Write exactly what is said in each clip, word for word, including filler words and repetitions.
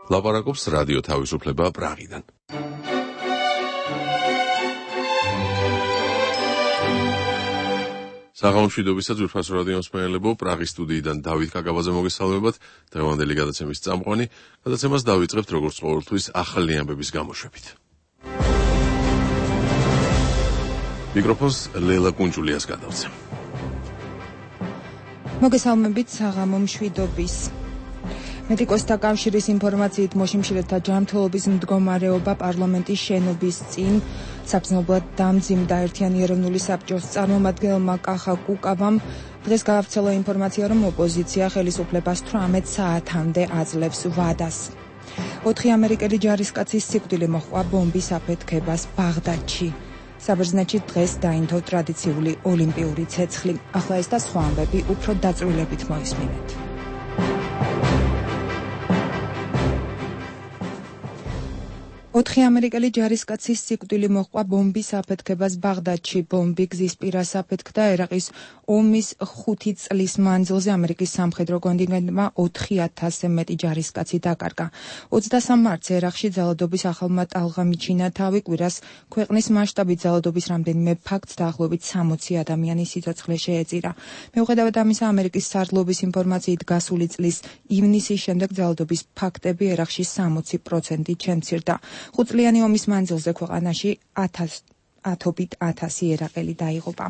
ლაპარაკობს რადიო თავისუფლება პრაღიდან. საღამომშვიდობისა ძვირფასო რადიო მსმენელებო, პრაღის სტუდიიდან დავით კაკაბაძე მოგესალმებათ. დღევანდელი გადაცემის წამყვანი, გადაცემას დავიწყებთ როგორც ყოველთვის ახალი ამბების გამოშვებით. მიკროფონს ლელა კუნჭულიას გადავცემ. მოგესალმებით საღამომშვიდობის. მედიკოსთა კავშირის ინფორმაციით მოშიმშილეთა ჯანმრთელობის მდგომარეობა პარლამენტის შენობის წინ საბრძნებლად დამძიმდა. ერთიანი ეროვნული საბჭოს წარმომადგენელმა კახა კუკავამ დღეს გაავრცელა ინფორმაცია, რომ ოპოზიცია ხელისუფლებას თვრამეტ საათამდე აძლევს ვადას. ოთხი ამერიკელი ჯარისკაცის სიკვდილი მოჰყვა ბომბის აფეთქებას ბაღდადში. საბერძნეთში დღეს დაინთო ტრადიციული ოლიმპიური ცეცხლი. ახლა ეს და სხვა ამბები უფრო დაწვრილებით მოისმინეთ. ოთხი ამერიკელი ჯარისკაცის სიკვდილი მოჰყვა ბომბის აფეთქებას ბაღდადში. ბომბი გზის პირას აფეთქდა. ერაყის ომის ხუთი წლის მანძილზე ამერიკის სამხედრო კონტინგენტმა ოთხი ათასზე მეტი ჯარისკაცი დაკარგა. ოცდასამ მარტს ერაყში ძალადობის ახალმა ტალღამ მიჩინა თავი. კვირას ქვეყნის მასშტაბით ძალადობის რამდენიმე ფაქტს დაახლოებით სამოცი ადამიანის სიცოცხლე შეეწირა. მიუხედავად ამისა, ამერიკის სარდლობის ინფორმაციით გასული წლის ივნისის შემდეგ ძალადობის ფაქტები ერაყში სამოცი პროცენტით შემცირდა. ხუთწლიანი ომის მანძილზე ქვეყანაში ათობით ათასი ერაყელი დაიღუპა.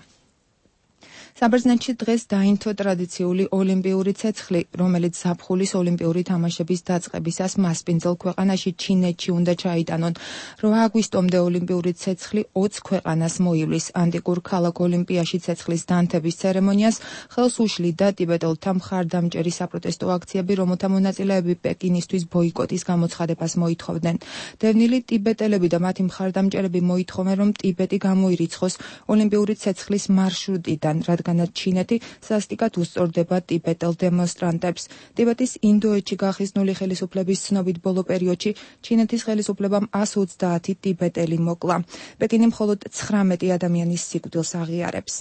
საბერძნეთში დღეს დაინთო ტრადიციული ოლიმპიური ცეცხლი, რომელიც ზაფხულის ოლიმპიური თამაშების დაწყებისას მასპინძელ ქვეყანაში ჩინეთში უნდა ჩაიტანონ. რვა აგვისტომდე ოლიმპიური ცეცხლი ოცს ქვეყანას მოივლის. ანტიკურ ქალაქ ოლიმპიაში ცეცხლის დანთების ცერემონიას ხელს უშლიდა ტიბეტელთა მხარდამჭერი საპროტესტო აქციები, რომელთა მონაწილეები პეკინისთვის ბოიკოტის გამოცხადებას მოითხოვდნენ. დევნილი ტიბეტელები და მათი მხარდამჭერები მოითხოვენ, რომ ტიბეტი გამოირიცხოს ოლიმპიური ცეცხლის მარშრუტიდან, რადგანაც ჩინეთი სასტიკად უსწორდება ტიბეტელ დემონსტრანტებს. ტიბეტის ინდოეთში გახიზნული ხელისუფლების ცნობით ბოლო პერიოდში ჩინეთის ხელისუფლებამ ასი ოცდაათი ტიბეტელი მოკლა. პეკინი მხოლოდ ცხრამეტი ადამიანის სიკვდილს აღიარებს.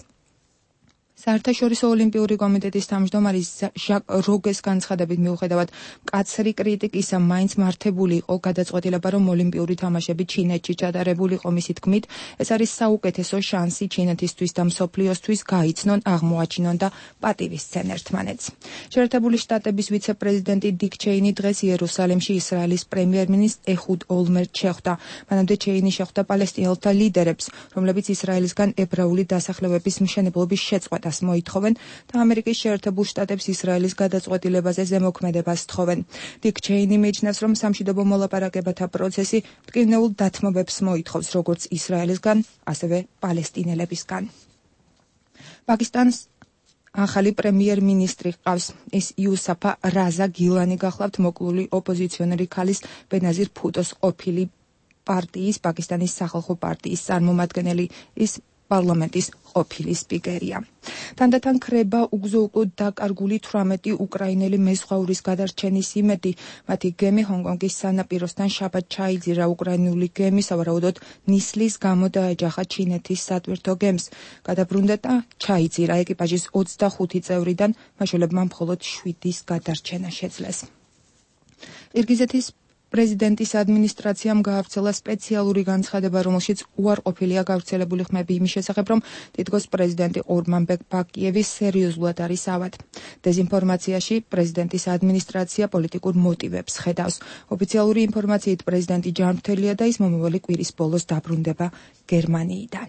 საერთაშორისო ოლიმპიური კომიტეტის თავმჯდომარის ჟაკ როგეს განცხადებით, მიუხედავად მკაცრი კრიტიკისა, მაინც მართებული იყო გადაწყვეტილება, რომ ოლიმპიური თამაშები ჩინეთში ჩატარებულიყო. მისი თქმით, ეს არის საუკეთესო შანსი ჩინეთისთვის და მსოფლიოსთვის გაიცნონ, აღმოაჩინონ და პატივისცენ ერთმანეთს. შეერთებული შტატების ვიცე-პრეზიდენტი დიკ ჩეინი დღეს იერუსალიმში ისრაელის პრემიერ-მინისტრ ეჰუდ ოლმერტს შეხვდა. მანამდე ჩეინი შეხვდა პალესტინელთა ლიდერებს, რომლებიც ისრაელისგან ებრაული დასახლებების მშენებლობის შეწყვეტას მოითხოვენ და ამერიკის შეერთებულ შტატებს ისრაელის გადაწყვეტილებაზე ზემოქმედებას თხოვენ. დიკ ჩეინი მიიჩნევს, რომ სამშვიდობო მოლაპარაკებათა პროცესი მტკივნეულ დათმობებს მოითხოვს, როგორც ისრაელისგან, ასევე პალესტინელებისგან. პაკისტანს ახალი პრემიერ-მინისტრი ჰყავს. ის იუსაფა რაზა გილანი გახლავთ მოკლული ოპოზიციონერი ქალის ბენაზირ ფუტოს ყოფილი პარტიის, პაკისტანის სახალხო პარტიის წარმომადგენელი. ის პარლამენტის ყოფილი სპიკერია. თანდათან ქრება უგზო-უკვლოდ დაკარგული თვრამეტი უკრაინელი მეზღვაურის გადარჩენის იმედი. მათი გემი ჰონკონგის სანაპიროსთან შაბათ ჩაიძირა. უკრაინული გემი სავარაუდოდ ნისლის გამო დაეჯახა ჩინეთის სატვირთო გემს. გადაბრუნდა და ჩაიძირა. ეკიპაჟის ოცდახუთი წევრიდან მაშველებმა მხოლოდ შვიდის გადარჩენა შეძლეს. ყირგიზეთის პრეზიდენტის ადმინისტრაციამ გაავრცელა სპეციალური განცხადება, რომელშიც უარყოფილია გავრცელებული ხმები იმის შესახებ, რომ თითქოს პრეზიდენტი ორმანბეკ ბაკიევი სერიოზულად არის ავად. დეზინფორმაციაში პრეზიდენტის ადმინისტრაცია პოლიტიკურ მოტივებს ხედავს. ოფიციალური ინფორმაციით პრეზიდენტი ჯანმრთელია და ის მომავალი კვირის ბოლოს დაბრუნდება გერმანიიდან.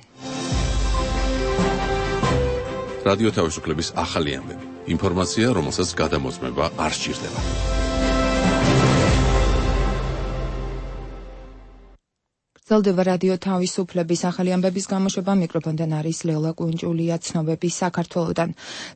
რადიო თავისუფლების ახალი ამბები. ინფორმაცია, რომელსაც გადამოწმება არ სჭირდება. გრძელდება რადიო თავისუფლების ახალი ამბების გამოშვება. მიკროფონთან არის ლელა კუნჭულია. ცნობები საქართველოდან.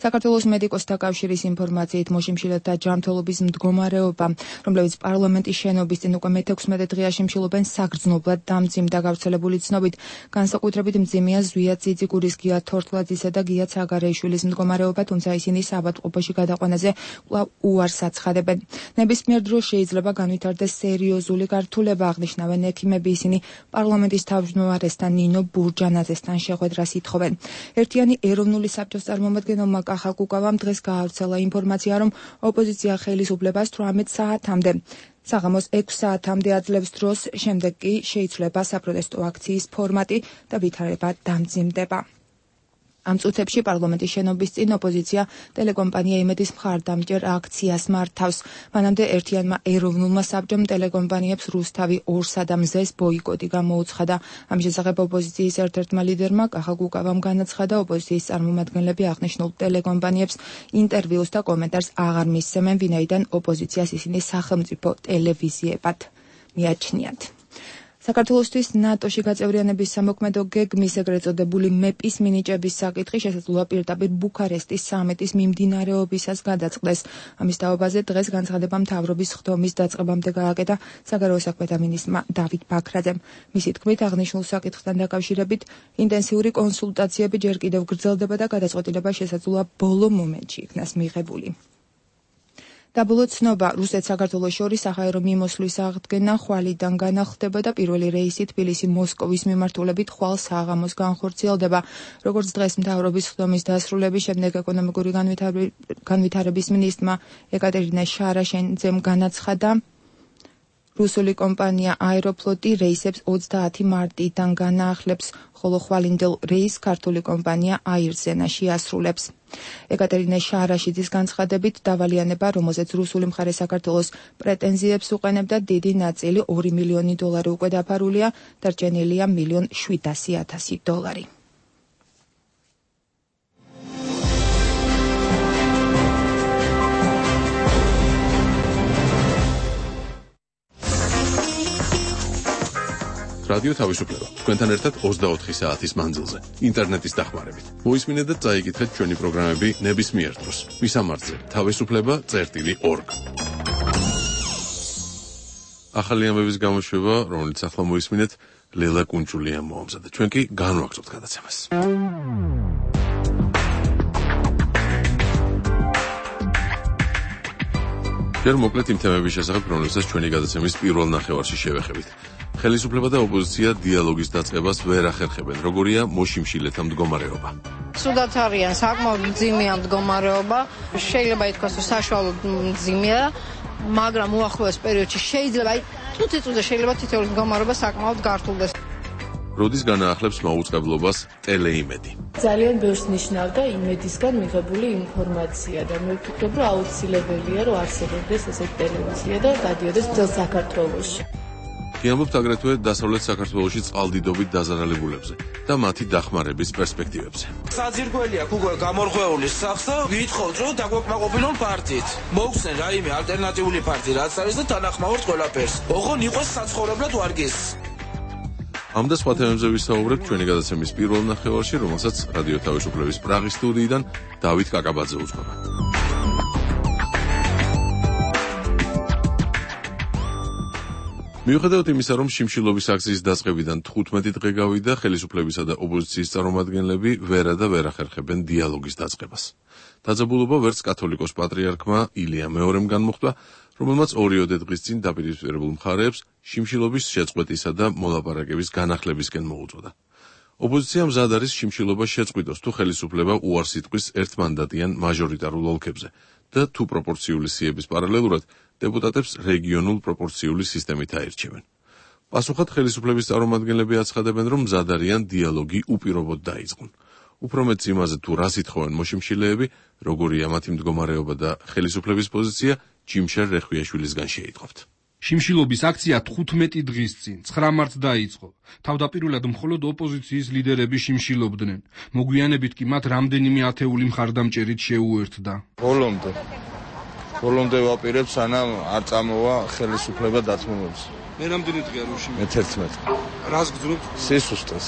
საქართველოს მედიკოსთა კავშირის ინფორმაციით მოშიმშილეთა ჯანმრთელობის მდგომარეობა, რომლებიც პარლამენტის შენობის წინ უკვე მეთექვსმეტე დღეა შიმშილობენ, საგრძნობლად დამძიმდა. გავრცელებული ცნობით განსაკუთრებით მძიმეა ზვია ძიძიგურის, გია თორთლაძისა და გია ცაგარეიშვილის მდგომარეობა, თუმცა ისინი საავადმყოფოში გადაყვანაზე კვლავ უარს აცხადებენ. ნებისმიერ დროს შეიძლება განვითარდეს სერიოზული გართულება, აღნიშნავენ ექიმები. ისინი პარლამენტის თავმჯდომარესთან ნინო ბურჯანაძესთან შეხვედრას ითხოვენ. ერთიანი ეროვნული საბჭოს წარმომადგენელმა კახა კუკავამ დღეს გაავრცელა ინფორმაცია, რომ ოპოზიცია ხელისუფლებას თვრამეტ საათამდე საღამოს ექვს საათამდე აძლევს დროს, შემდეგ კი შეიცვლება საპროტესტო აქციის ფორმატი და ვითარება დამძიმდება. ამ წუთებში პარლამენტის შენობის წინ ოპოზიცია ტელეკომპანია იმედის მხარდამჭერ აქციას მართავს. მანამდე ერთიანმა ეროვნულმა საბჭომ ტელეკომპანიებს რუსთავი ორსა და მზეს ბოიკოტი გამოუცხადა. ამ შესახებ ოპოზიციის ერთ-ერთმა ლიდერმა კახა გუკავამ განაცხადა, ოპოზიციის წარმომადგენლები აღნიშნულ ტელეკომპანიებს ინტერვიუს და კომენტარს აღარ მისცემენ, ვინაიდან ოპოზიციას ისინი სახელმწიფო ტელევიზიებად მიაჩნიათ. საქართველოსთვის ნატოში გაწევრიანების სამოქმედო გეგმის ეგრეთ წოდებული მეპის მინიჭების საკითხი შესაძლოა პირდაპირ ბუქარესტის სამიტის მიმდინარეობისას გადაწყდეს. ამის თაობაზე დღეს განცხადება მთავრობის ხდომის დაწყებამდე გააკეთა საგარეო საქმეთა მინისტრმა დავით ბაქრაძემ. მისი თქმით, აღნიშნულ საკითხთან დაკავშირებით ინტენსიური კონსულტაციები ჯერ კიდევ გრძელდება და გადაწყვეტილება შესაძლოა ბოლო მომენტში იქნას მიღებული. დაბოლო ცნობა, რუსეთ-საქართველოს შორის საჰაერო მიმოსვლის აღდგენა ხვალიდან განახლდება და პირველი რეისი თბილისი-მოსკოვის მიმართულებით ხვალ საღამოს განხორციელდება. როგორც დღეს მთავრობის ხდომის დასრულების შემდეგ ეკონომიკური განვითარების მინისტრმა ეკატერინე შარაშენძემ განაცხადა, რუსული კომპანია აეროფლოტი რეისებს ოცდაათი მარტიდან განაახლებს, ხოლო ხვალინდელ რეისს ქართული კომპანია აირზენა შეასრულებს. ეკატერინე შარაშიძის განცხადებით, დავალიანება, რომელზეც რუსული მხარე საქართველოს პრეტენზიებს უყენებდა, დიდი ნაწილი ორი მილიონი დოლარი უკვე დაფარულია, დარჩენილია მილიონ შვიდასი ათასი დოლარი. რადიო თავისუფლება. თქვენთან ერთად ოცდაოთხი საათის მანძილზე, ინტერნეტის დახმარებით. მოისმინეთ და წაიკითხეთ ჩვენი პროგრამები ნებისმიერ დროს. მისამართზე თავისუფლება წერტილი ორგ. ახალი ამბების გამოშვება, რომელიც ახლა მოისმინეთ, ლელა კუნჭულიამ მოამზადა. ჩვენ კი განვაგრძობთ გადაცემას. ჯერ მოკლედ იმ თემების შესახებ, რომელსაც ჩვენი გადაცემის პირველ ნახევარში შევეხებით. ხელისუფლება და ოპოზიცია დიალოგის დაწყებას ვერ ახერხებენ. როგორია მოშიმშილეთა მდგომარეობა? სუდაც არიან საკმაოდ მძიმეა მდგომარეობა. შეიძლება ითქვას, რომ საშუალოდ მძიმეა, მაგრამ უახლოეს პერიოდში შეიძლება, აი, წუთი-წუთზე შეიძლება თითოეული მდგომარეობა საკმაოდ გართულდეს. როდის განაახლებს მაუწყებლობას ტელეიმედი? ძალიან ბევრს ნიშნავდა იმედისგან მიღებული ინფორმაცია და მე ვფიქრობ, რომ აუცილებელია, რომ არსებობდეს ესეთი ტელევიზია და გადიოდეს მთელ საქართველოში. გიამბობთ აგრეთვე დასავლეთ საქართველოში წყალდიდობით დაზარალებულებზე და მათი დახმარების პერსპექტივებზე. საძირკველი აქვს უკვე გამორღვეული სახს და ვითხოვთ, რომ დაგვეკმაყოფილონ პარტიით. მოგვხსენ რაიმე ალტერნატიული პარტია რაც არის და თანახმავთ ყველაფერს. ოღონ იყოს საცხოვრებლად ვარგის. ამ და სხვა თემებზე ვისაუბრებთ ჩვენი გადაცემის პირველ ნახევარში, რომელსაც რადიო თავისუფლების პრაღის სტუდიიდან დავით კაკაბაძე უძღვება. მიუხედავად იმისა, რომ შიმშილობის აქციის დაწყებიდან თხუთმეტი დღე გავიდა, ხელისუფლებისა და ოპოზიციის წარმომადგენლები ვერა და ვერ ახერხებენ დიალოგის დაწყებას. დაძაბულობა ვერც კათოლიკოს პატრიარქმა ილია მეორემ განმუხტა, რომელმაც ორიოდე დღის წინ დაპირისპირებულ მხარეებს შიმშილობის შეწყვეტისა და მოლაპარაკების განახლებისკენ მოუწოდა. ოპოზიცია მზად არის შიმშილობა შეწყვიტოს, თუ ხელისუფლება უარს იტყვის ერთმანდატიან მაჟორიტარულ ოლქებზე და თუ პროპორციული სიების პარალელურად დეპუტატებს რეგიონულ პროპორციული სისტემით აირჩევენ. პასუხად ხელისუფლების წარმომადგენლები აცხადებენ, რომ მზად არიან დიალოგი უპირობოდ დაიწყონ. უფრო მეტ იმაზე, თუ რას ითხოვენ მოშიმშილეები, როგორია მათი მდგომარეობა და ხელისუფლების პოზიცია, ჯიმშერ რეხვიაშვილისგან შეიტყობთ. შიმშილობის აქცია თხუთმეტი დღის წინ, ცხრა მარტს დაიწყო. თავდაპირველად მხოლოდ ოპოზიციის ლიდერები შიმშილობდნენ. მოგვიანებით კი მათ რამდენიმე ათეული მხარდამჭერით შეუერთდა. ბოლომდე ბოლომდე ვაპირებ, სანამ არ წამოვა ხელისუფლება დათმობებს. მე რამდენი დღეა რომ შიმშილობ? მე თერთმეტი. რას გძნობთ? სისუსტეს.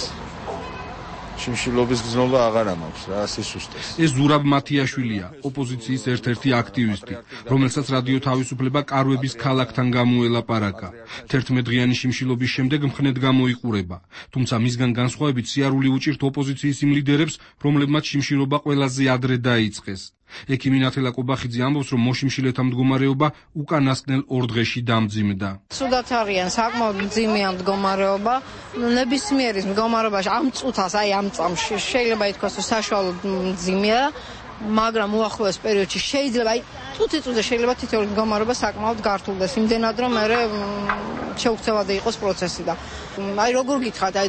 შიმშილობის გზნობა აღარ ამაქვს რა, სისუსტეს. ეს ზურაბ მათიაშვილია, ოპოზიციის ერთ-ერთი აქტივისტი, რომელსაც რადიო თავისუფლება კარვების ქალაქთან გამოელაპარაკა. თერთმეტდღიანი შიმშილობის შემდეგ მხნედ გამოიყურება, თუმცა მისგან განსხვავებით სიარული უჭირთ ოპოზიციის იმ ლიდერებს, რომლებმაც შიმშილობა ყველაზე ადრე დაიწყეს. ექიმი ნათელა კობახიძე ამბობს, რომ მოშიმშილეთა მდგომარეობა უკანასკნელ ორ დღეში დამძიმდა. სუდაც არიან საკმაოდ მძიმეა მდგომარეობა. ნებისმიერის მდგომარეობაში ამ წუთას, აი ამ წამში შეიძლება ითქვას, რომ საშუალოდ მძიმეა, მაგრამ უახლოეს პერიოდში შეიძლება, აი ხუთი წუთზე შეიძლება თითოეული მდგომარეობა საკმაოდ გართულდეს, იმდენად რომ მე შეუქცევადი იყოს პროცესი და აი როგორ გითხრათ, აი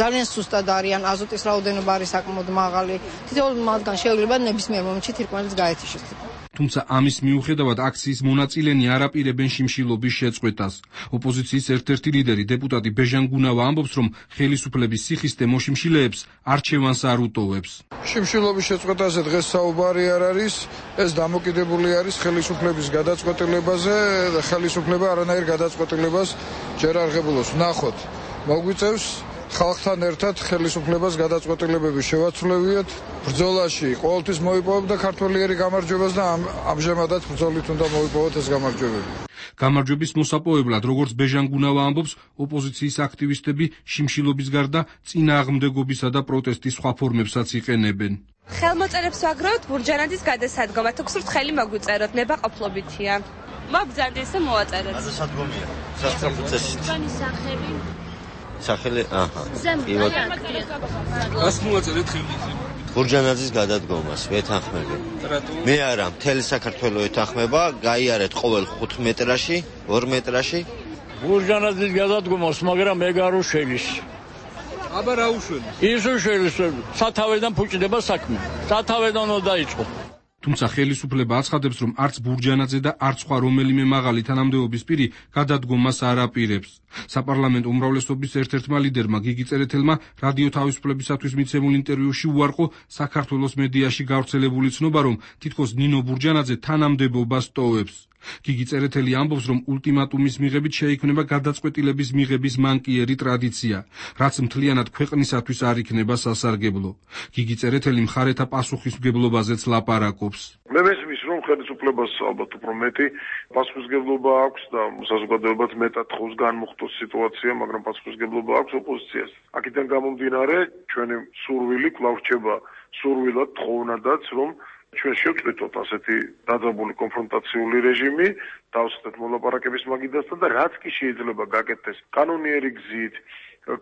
ძალიან სუსტად არიან, აზოტის რაოდენობა არის საკმაოდ მაღალი. თითოეული მათგან შეიძლება ნებისმიერ მომენტში თირკმელიც გაეთიშოს. თუმცა ამის მიუხედავად აქციის მონაწილენი არ აპირებენ შიმშილობის შეწყვეტას. ოპოზიციის ერთ-ერთი ლიდერი დეპუტატი ბეჟან გუნავა ამბობს, რომ ხელისუფლების სიხისტე მოშიმშილეებს არჩევანს არ უტოვებს. შიმშილობის შეწყვეტაზე დღეს საუბარი არ არის, ეს დამოკიდებული არის ხელისუფლების გადაწყვეტილებაზე და ხელისუფლება არანაირ გადაწყვეტილებას ჯერ არ ღებულობს. ნახოთ, მოგვიწევს ხალხთან ერთად ხელისუფლებას გადაწყვეტილებები შევაცვლევიათ. ბრძოლაში ყოველთვის მოიპოვებდა ქართველიერი გამარჯვებას და ამჟამადაც ბრძოლით უნდა მოიპოვოთ ეს გამარჯვებები. გამარჯვების მოსაპოვებლად, როგორც ბეჟან გუნავა ამბობს, ოპოზიციის აქტივისტები შიმშილობის გარდა წინააღმდეგობისა და პროტესტის სხვა ფორმებსაც იყენებენ. ხელმოწერებს ვაგროვებთ ბურჯანაძის გადასადგომად, თუ გსურთ ხელი მოგვიწეროთ, ნებაყოფლობითია. მოგბრძანეთ ესე მოვაწეროთ. გადასადგომია. სასწრაფო ჩვენი სახელი სახელი, აჰა. გას მოვაწერეთ ხელი. ბურჯანაძის გადადგომას ვეთანხმები. მე არა, მთელი საქართველო ეთანხმება, გაიარეთ ყოველ ხუთ მეტრაში, ორ მეტრაში. ბურჯანაძის გადადგომას, მაგრამ ეგ არ უშენის. აბა რა უშველის? ის უშველის, სათავედან ფუჭდება საქმე. სათავედან უნდა დაიწყო. თუმცა ხელისუფლება აცხადებს, რომ არც ბურჯანაძე და არც სხვა რომელიმე მაღალი თანამდებობის პირი გადადგომას არ აპირებს. საპარლამენტო უმრავლესობის ერთ-ერთმა ლიდერმა გიგი წერეთელმა რადიო თავისუფლებისათვის მიცემულ ინტერვიუში უარყო საქართველოს მედიაში გავრცელებული ცნობა, რომ თითქოს ნინო ბურჯანაძე თანამდებობას ტოვებს. გიგი წერეთელი ამბობს, რომ ულტიმატუმის მიღებით შეიქმნება გადაწყვეტილების მიღების მანკიერი ტრადიცია, რაც მთლიანად ქვეყნისათვის არ იქნება სასარგებლო. გიგი წერეთელი მხარეთა პასუხისმგებლობაზეც ლაპარაკობს. მე მესმის, რომ ხელისუფლებას ალბათ უფრო მეტი პასუხისმგებლობა აქვს და საზოგადოებაც მეტად ხოს განმუხტოს სიტუაცია, მაგრამ პასუხისმგებლობა აქვს ოპოზიციას. აქედან გამომდინარე, ჩვენი სურვილი კვლავ რჩება სურვილად თხოვნადაც, რომ ჩვენ შევწყვეტოთ ასეთი დაძაბული კონფრონტაციული რეჟიმი, დავსხდეთ მოლაპარაკების მაგიდასთან და რაც კი შეიძლება გაკეთდეს კანონიერი გზით,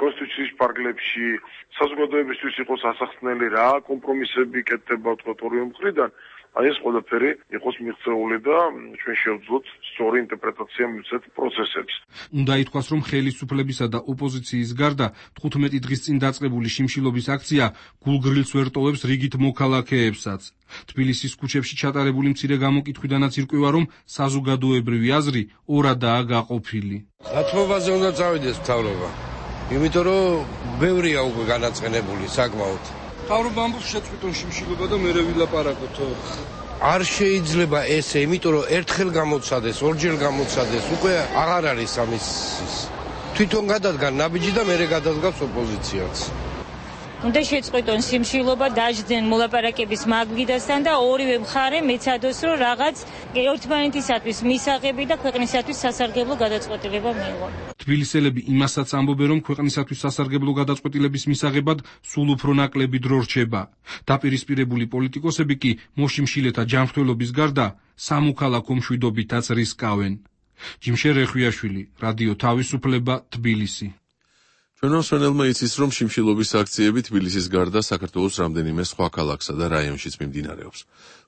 კონსტიტუციის პარკლებში, საზოგადოებისთვის იყოს ასახსნელი რა კომპრომისები კეთდება თქო ორივე მხრიდან, აი ეს ყველაფერი იყოს მიღწეული და ჩვენ შევძლოთ სწორი ინტერპრეტაცია მივცეთ პროცესებს. უნდა ითქვას, რომ ხელისუფლებისა და ოპოზიციის გარდა თხუთმეტი დღის წინ დაწყებული შიმშილობის აქცია გულგრილს ვერ ტოვებს რიგით მოქალაქეებსაც. თბილისის ქუჩებში ჩატარებული მცირე გამოკითხვიდანაც ირკვევა, რომ საზოგადოებრივი აზრი ორადაა გაყოფილი. დათმობაზე უნდა წავიდეს მთავრობა, იმიტომ რომ ბევრია უკვე განაცხენებული საკმაოდ. მთავრობა ამბობს შეწყვეტონ შიმშილობა და მერე ვილაპარაკოთ. არ შეიძლება ესე, იმიტომ რომ ერთხელ გამოცადეს, ორჯერ გამოცადეს, უკვე აღარ არის ამის თვითონ გადადგან ნაბიჯი და მერე გადადგავს ოპოზიციაც. უნდა შეწყვეტონ შიმშილობა, დაждდნენ მოლაპარაკების მაგიდასთან და ორივე მხარე მეცადოს, რომ რაღაც ერთმანეთისათვის მისაღები და ქვეყნისათვის სასარგებლო გადაწყვეტილება მიიღო. თბილისელები იმასაც ამბობენ, რომ ქვეყნისათვის სასარგებლო გადაწყვეტილების მისაღებად სულ უფრო ნაკლები დრო რჩება. დაპირისპირებული პოლიტიკოსები კი მოშიმშილეთა ჯანმრთელობის გარდა სამოქალაქო მშვიდობითაც რისკავენ. ჯიმშე რეხვიაშვილი, რადიო თავისუფლება, თბილისი. ჩვენო მსმენელმა იცის, რომ შიმშილობის აქციები თბილისის გარდა საქართველოს რამდენიმე სხვა ქალაქსა და რაიონშიც მიმდინარეობს.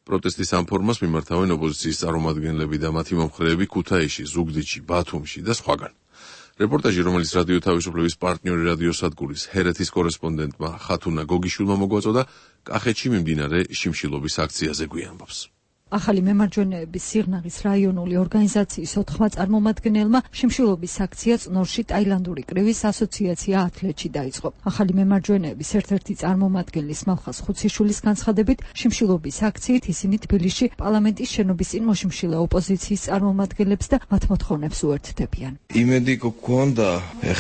პროტესტის ამ ფორმას მიმართავენ ოპოზიციის წარმომადგენლები და მათი მომხრეები ქუთაისში, ზუგდიდში, ბათუმში და სხვაგან. რეპორტაჟი, რომელიც რადიო თავისუფლების პარტნიორი რადიოსადგურის ჰერეთის კორესპონდენტმა ხათუნა გოგიშვილმა მოგვაწოდა, კახეთში მიმდინარე შიმშილობის აქციაზე გვიამბობს. ახალი მემარჯვენეების სიღნაღის რაიონული ორგანიზაციის ოთხმა წარმომადგენელმა შიმშილობის აქცია წნორში ტაილანდური კრივის ასოციაცია ათლეთში დაიწყო. ახალი მემარჯვენეების ერთ-ერთი წარმომადგენლის მალხაზ ხუციშვილის განცხადებით, შიმშილობის აქციით ისინი თბილისში პარლამენტის შენობის წინ მოშიმშილე ოპოზიციის წარმომადგენლებს და მათ მოთხოვნებს უერთდებიან. იმედი გქონდა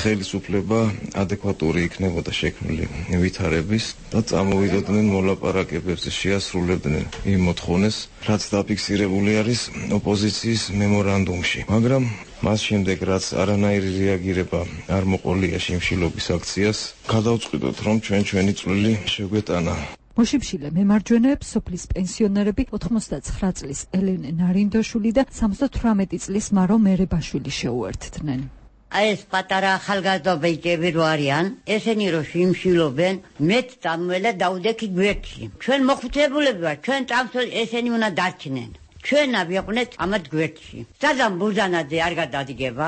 ხელისუფლება ადეკვატური იქნებოდა შექმნილი ვითარების და წამოვიდოდნენ მოლაპარაკებებზე, შეასრულებდნენ იმ მოთხოვნას, რაც დაფიქსირებული არის ოპოზიციის მემორანდუმში. მაგრამ მას შემდეგ, რაც არანაირი რეაგირება არ მოყოლია შიმშილობის აქციას, გადავწყვიტოთ, რომ ჩვენ ჩვენი წვლილი შეგვეტანა. მოშიმშილე მემარჯვენეებს სოფლის პენსიონერები ოთხმოცდაცხრა წლის ელენე ნარინდოშვილი და სამოცდათვრამეტი წლის მარო მერებაშვილი შეუერთდნენ. აი ეს პატარა ახალგაზრდა ბიჭები რო არიან, ესენი რო შიმშილობენ, მეც წამველა დაუდექი გვერდში. ჩვენ მოხუცებულები ვართ, ჩვენ წამს ესენი უნდა დარჩნენ. ჩვენ ავიყვნეთ ამათ გვერდში. სადამ ბუზანაძე არ გადადგება,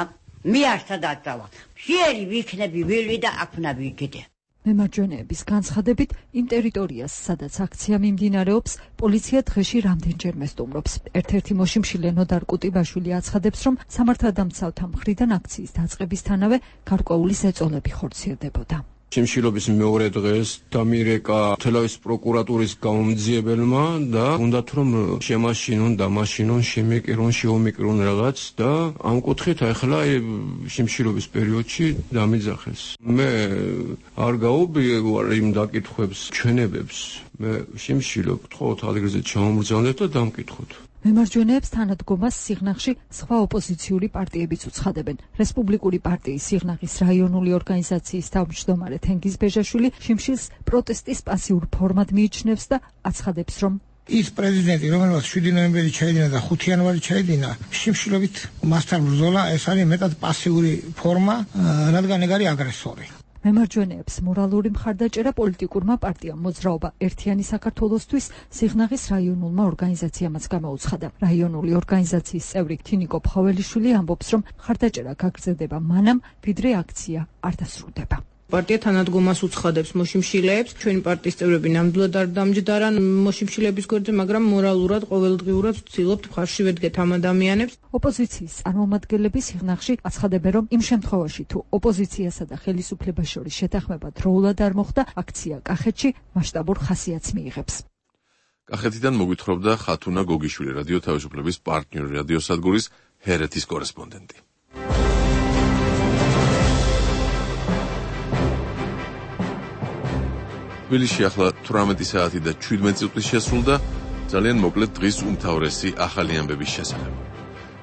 მე არ სადაცავა. შეერი ვიქნები ვილვი და აქნა ვიქიდე. მემარჯვენეების განცხადებით, იმ ტერიტორიას, სადაც აქცია მიმდინარეობს, პოლიცია დღეში რამდენჯერმე სტუმრობს. ერთ-ერთი მოშიმშილე ნოდარ კუტიბაშვილი აცხადებს, რომ სამართალდამცავთა მხრიდან აქციის დაწყებისთანავე გარკვეული ზეწოლები ხორციელდებოდა. შიმშილობის მეორე დღეს დამირეკა თელავის პროკურატურის გამომძიებელმა და უნდათ რომ შემაშინონ, დამაშინონ, შემეკირონ, შეომიკრონ რაღაც და ამ კუთხით ახლა შიმშილობის პერიოდში დამიძახეს. მე არ გაუბრიე ვარ იმ დაკითხვებს, ჩვენებებს. მე შიმშილობ, თხოვთ ალიგრზე ჩამომბრძანეთ და დამკითხოთ. მემარჯვენეებს თანადგომას სიღნაღში სხვა ოპოზიციური პარტიებიც უცხადებენ. რესპუბლიკური პარტიის სიღნაღის რაიონული ორგანიზაციის თავმჯდომარე თენგიზ ბეჟაშვილი შიმშილს პროტესტის პასიურ ფორმად მიიჩნევს და აცხადებს, რომ ის პრეზიდენტი, რომელმაც შვიდი ნოემბერი ჩაიდინა და ხუთი იანვარი ჩაიდინა, შიმშილობით მასთან ბრძოლა, ეს არის მეტად პასიური ფორმა, რადგან ეგ არის აგრესორი. მემარჯვენეებს მორალური მხარდაჭერა პოლიტიკურმა პარტიამ მოძრაობა ერთიანი საქართველოსთვის სიღნაღის რაიონულმა ორგანიზაციამაც გამოუცხადა. რაიონული ორგანიზაციის წევრი თინიკო ფხაველიშვილი ამბობს, რომ მხარდაჭერა გაგრძელდება მანამ, ვიდრე აქცია არ დასრულდება. პარტია თანადგომას უცხადებს მოშიმშილეებს, ჩვენი პარტიის წევრები ნამდვილად არ დამჯდარან მოშიმშილების გვერდზე, მაგრამ მორალურად, ყოველდღიურად ვცდილობთ მხარში ვედგეთ ამ ადამიანებს. ოპოზიციის წარმომადგენლები სიღნაღში აცხადებენ, რომ იმ შემთხვევაში, თუ ოპოზიციასა და ხელისუფლებას შორის შეთანხმება დროულად არ მოხდა, აქცია კახეთში მასშტაბურ ხასიათს მიიღებს. კახეთიდან მოგვითხრობდა ხათუნა გოგიშვილი, რადიო თავისუფლების პარტნიორი რადიოსადგურის ჰერეთის კორესპონდენტი. თბილისში ახლა თვრამეტი საათი და შვიდმეტი წუთი შესრულდა, ძალიან მოკლედ დღის უმთავრესი ახალი ამბების შესახებ.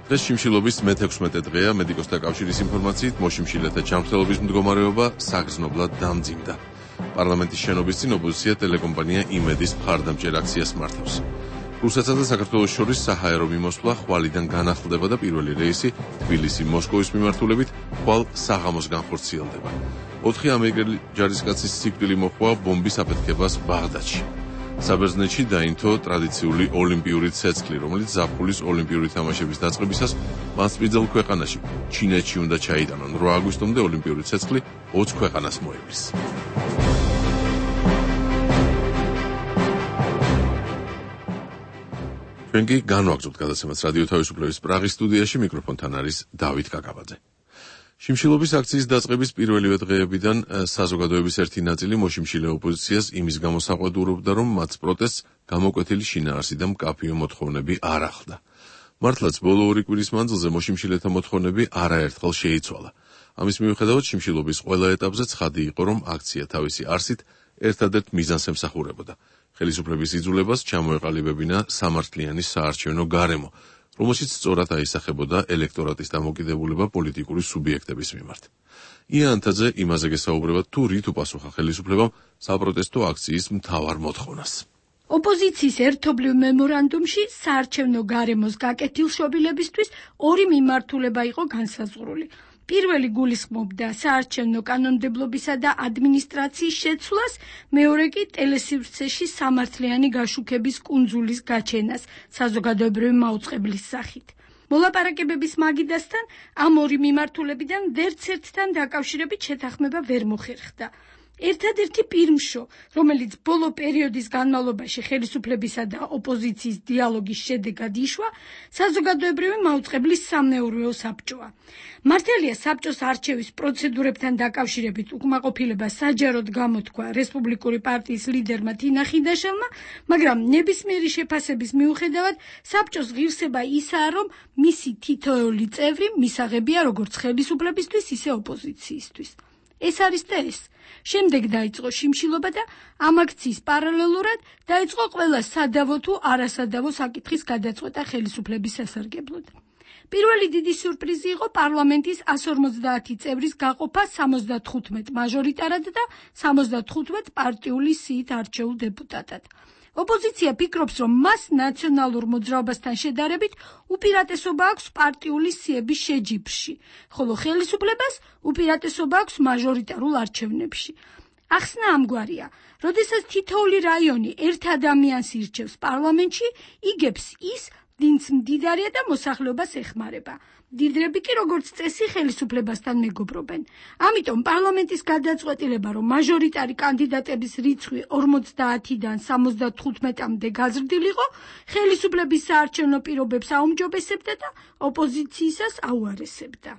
დღეს შიმშილობის მეთექვსმეტე დღეა, მედიკოსთა კავშირის ინფორმაციით მოშიმშილეთა ჯანმრთელობის მდგომარეობა საგრძნობლად დამძიმდა. პარლამენტის შენობის წინ ოპოზიცია ტელეკომპანია იმედის მხარდამჭერ აქციას მართავს. რუსეთსა და საქართველოს შორის საჰაერო მიმოსვლა ხვალიდან განახლდება და პირველი რეისი თბილისი-მოსკოვის მიმართულებით ხვალ საღამოს განხორციელდება. ოთხი ამერიკელი ჯარისკაცის სიკვდილი მოჰყვა ბომბის აფეთქებას ბაღდადში. საბერძნეთში დაინთო ტრადიციული ოლიმპიური ცეცხლი, რომელიც ზაფხულის ოლიმპიური თამაშების დაწყებისას მასპინძელ ქვეყანაში, ჩინეთში უნდა ჩაიტანონ. რვა აგვისტომდე ოლიმპიური ცეცხლი ოცი ქვეყანას მოევლის. ჩვენ კი განვაგრძობთ გადაცემას რადიო თავისუფლების პრაღის სტუდიაში, მიკროფონთან არის დავით კაკაბაძე. შიმშილობის აქციის დაწყების პირველივე დღეებიდან საზოგადოების ერთი ნაწილი მოშიმშილე ოპოზიციას იმის გამო საყვედურობდა, რომ მათ პროტესტს გამოკვეთილი შინაარსი და მკაფიო მოთხოვნები არ ახლდა. მართლაც ბოლო ორი კვირის მანძილზე მოშიმშილეთა მოთხოვნები არაერთხელ შეიცვალა. ამის მიუხედავად შიმშილობის ყველა ეტაპზე ცხადი იყო, რომ აქცია თავისი არსით ერთადერთ მიზანს ემსახურებოდა. ხელისუფლების იძულებას ჩამოეყალიბებინა სამართლიანი საარჩევნო გარემო, რომელშიც სწორად აისახებოდა ელექტორატის დამოკიდებულება პოლიტიკური სუბიექტების მიმართ. იანთაძე იმაზე გესაუბრება, თუ რით უპასუხა ხელისუფლებამ საპროტესტო აქციის მთავარ მოთხოვნას. ოპოზიციის ერთობლივ მემორანდუმში საარჩევნო გარემოს გაკეთილშობილებისთვის ორი მიმართულება იყო განსაზღვრული. პირველი გულისხმობდა საარჩევნო კანონმდებლობისა და ადმინისტრაციის შეცვლას, მეორე კი ტელესივრცეში სამართლიანი გაშუქების კუნძულის გაჩენას საზოგადოებრივი მაუწყებლის სახით. მოლაპარაკებების მაგიდასთან ამ ორი მიმართულებიდან ვერცერთთან დაკავშირებით შეთანხმება ვერ მოხერხდა. ერთადერთი პირმშო, რომელიც ბოლო პერიოდის განმავლობაში ხელისუფლებისა და ოპოზიციის დიალოგის შედეგად იშვა, საზოგადოებრივი მაუწყებლის სამნეურვეო საბჭოა. მართალია საბჭოს არჩევის პროცედურებთან დაკავშირებით უკმაყოფილება საჯაროდ გამოთქვა რესპუბლიკური პარტიის ლიდერმა თინა ხიდაშელმა, მაგრამ ნებისმიერი შეფასების მიუხედავად საბჭოს ღირსება ისაა, რომ მისი თითოეული წევრი მისაღებია როგორც ხელისუფლებისთვის, ისე ოპოზიციისთვის. ეს არის და ეს. შემდეგ დაიწყო შიმშილობა და ამ აქციის პარალელურად დაიწყო ყველა სადავო თუ არასადავო საკითხის გადაწყვეტა ხელისუფლების სასარგებლოდ. პირველი დიდი სიურპრიზი იყო პარლამენტის ასი ორმოცდაათი წევრის გაყოფა სამოცდათხუთმეტ მაჟორიტარად და სამოცდათხუთმეტ პარტიული სიით არჩეულ დეპუტატად. ოპოზიცია ფიქრობს, რომ მას ნაციონალურ მოძრაობასთან შედარებით უპირატესობა აქვს პარტიული სიების შეჯიბრში, ხოლო ხელისუფლებას უპირატესობა აქვს მაჟორიტარულ არჩევნებში. ახსნა ამგვარია, როდესაც თითოეული რაიონი ერთ ადამიანს ირჩევს პარლამენტში, იგებს ის, დინც მდიდარია და მოსახლეობას ეხმარება. მდიდრები კი როგორც წესი ხელისუფლებასთან მეგობრობენ. ამიტომ პარლამენტის გადაწყვეტილება, რომ მაჟორიტარი კანდიდატების რიცხვი ორმოცდაათიდან სამოცდათხუთმეტამდე გაზრდილიყო, ხელისუფლების საარჩევნო პირობებს აუმჯობესებდა და ოპოზიციისას აუარესებდა.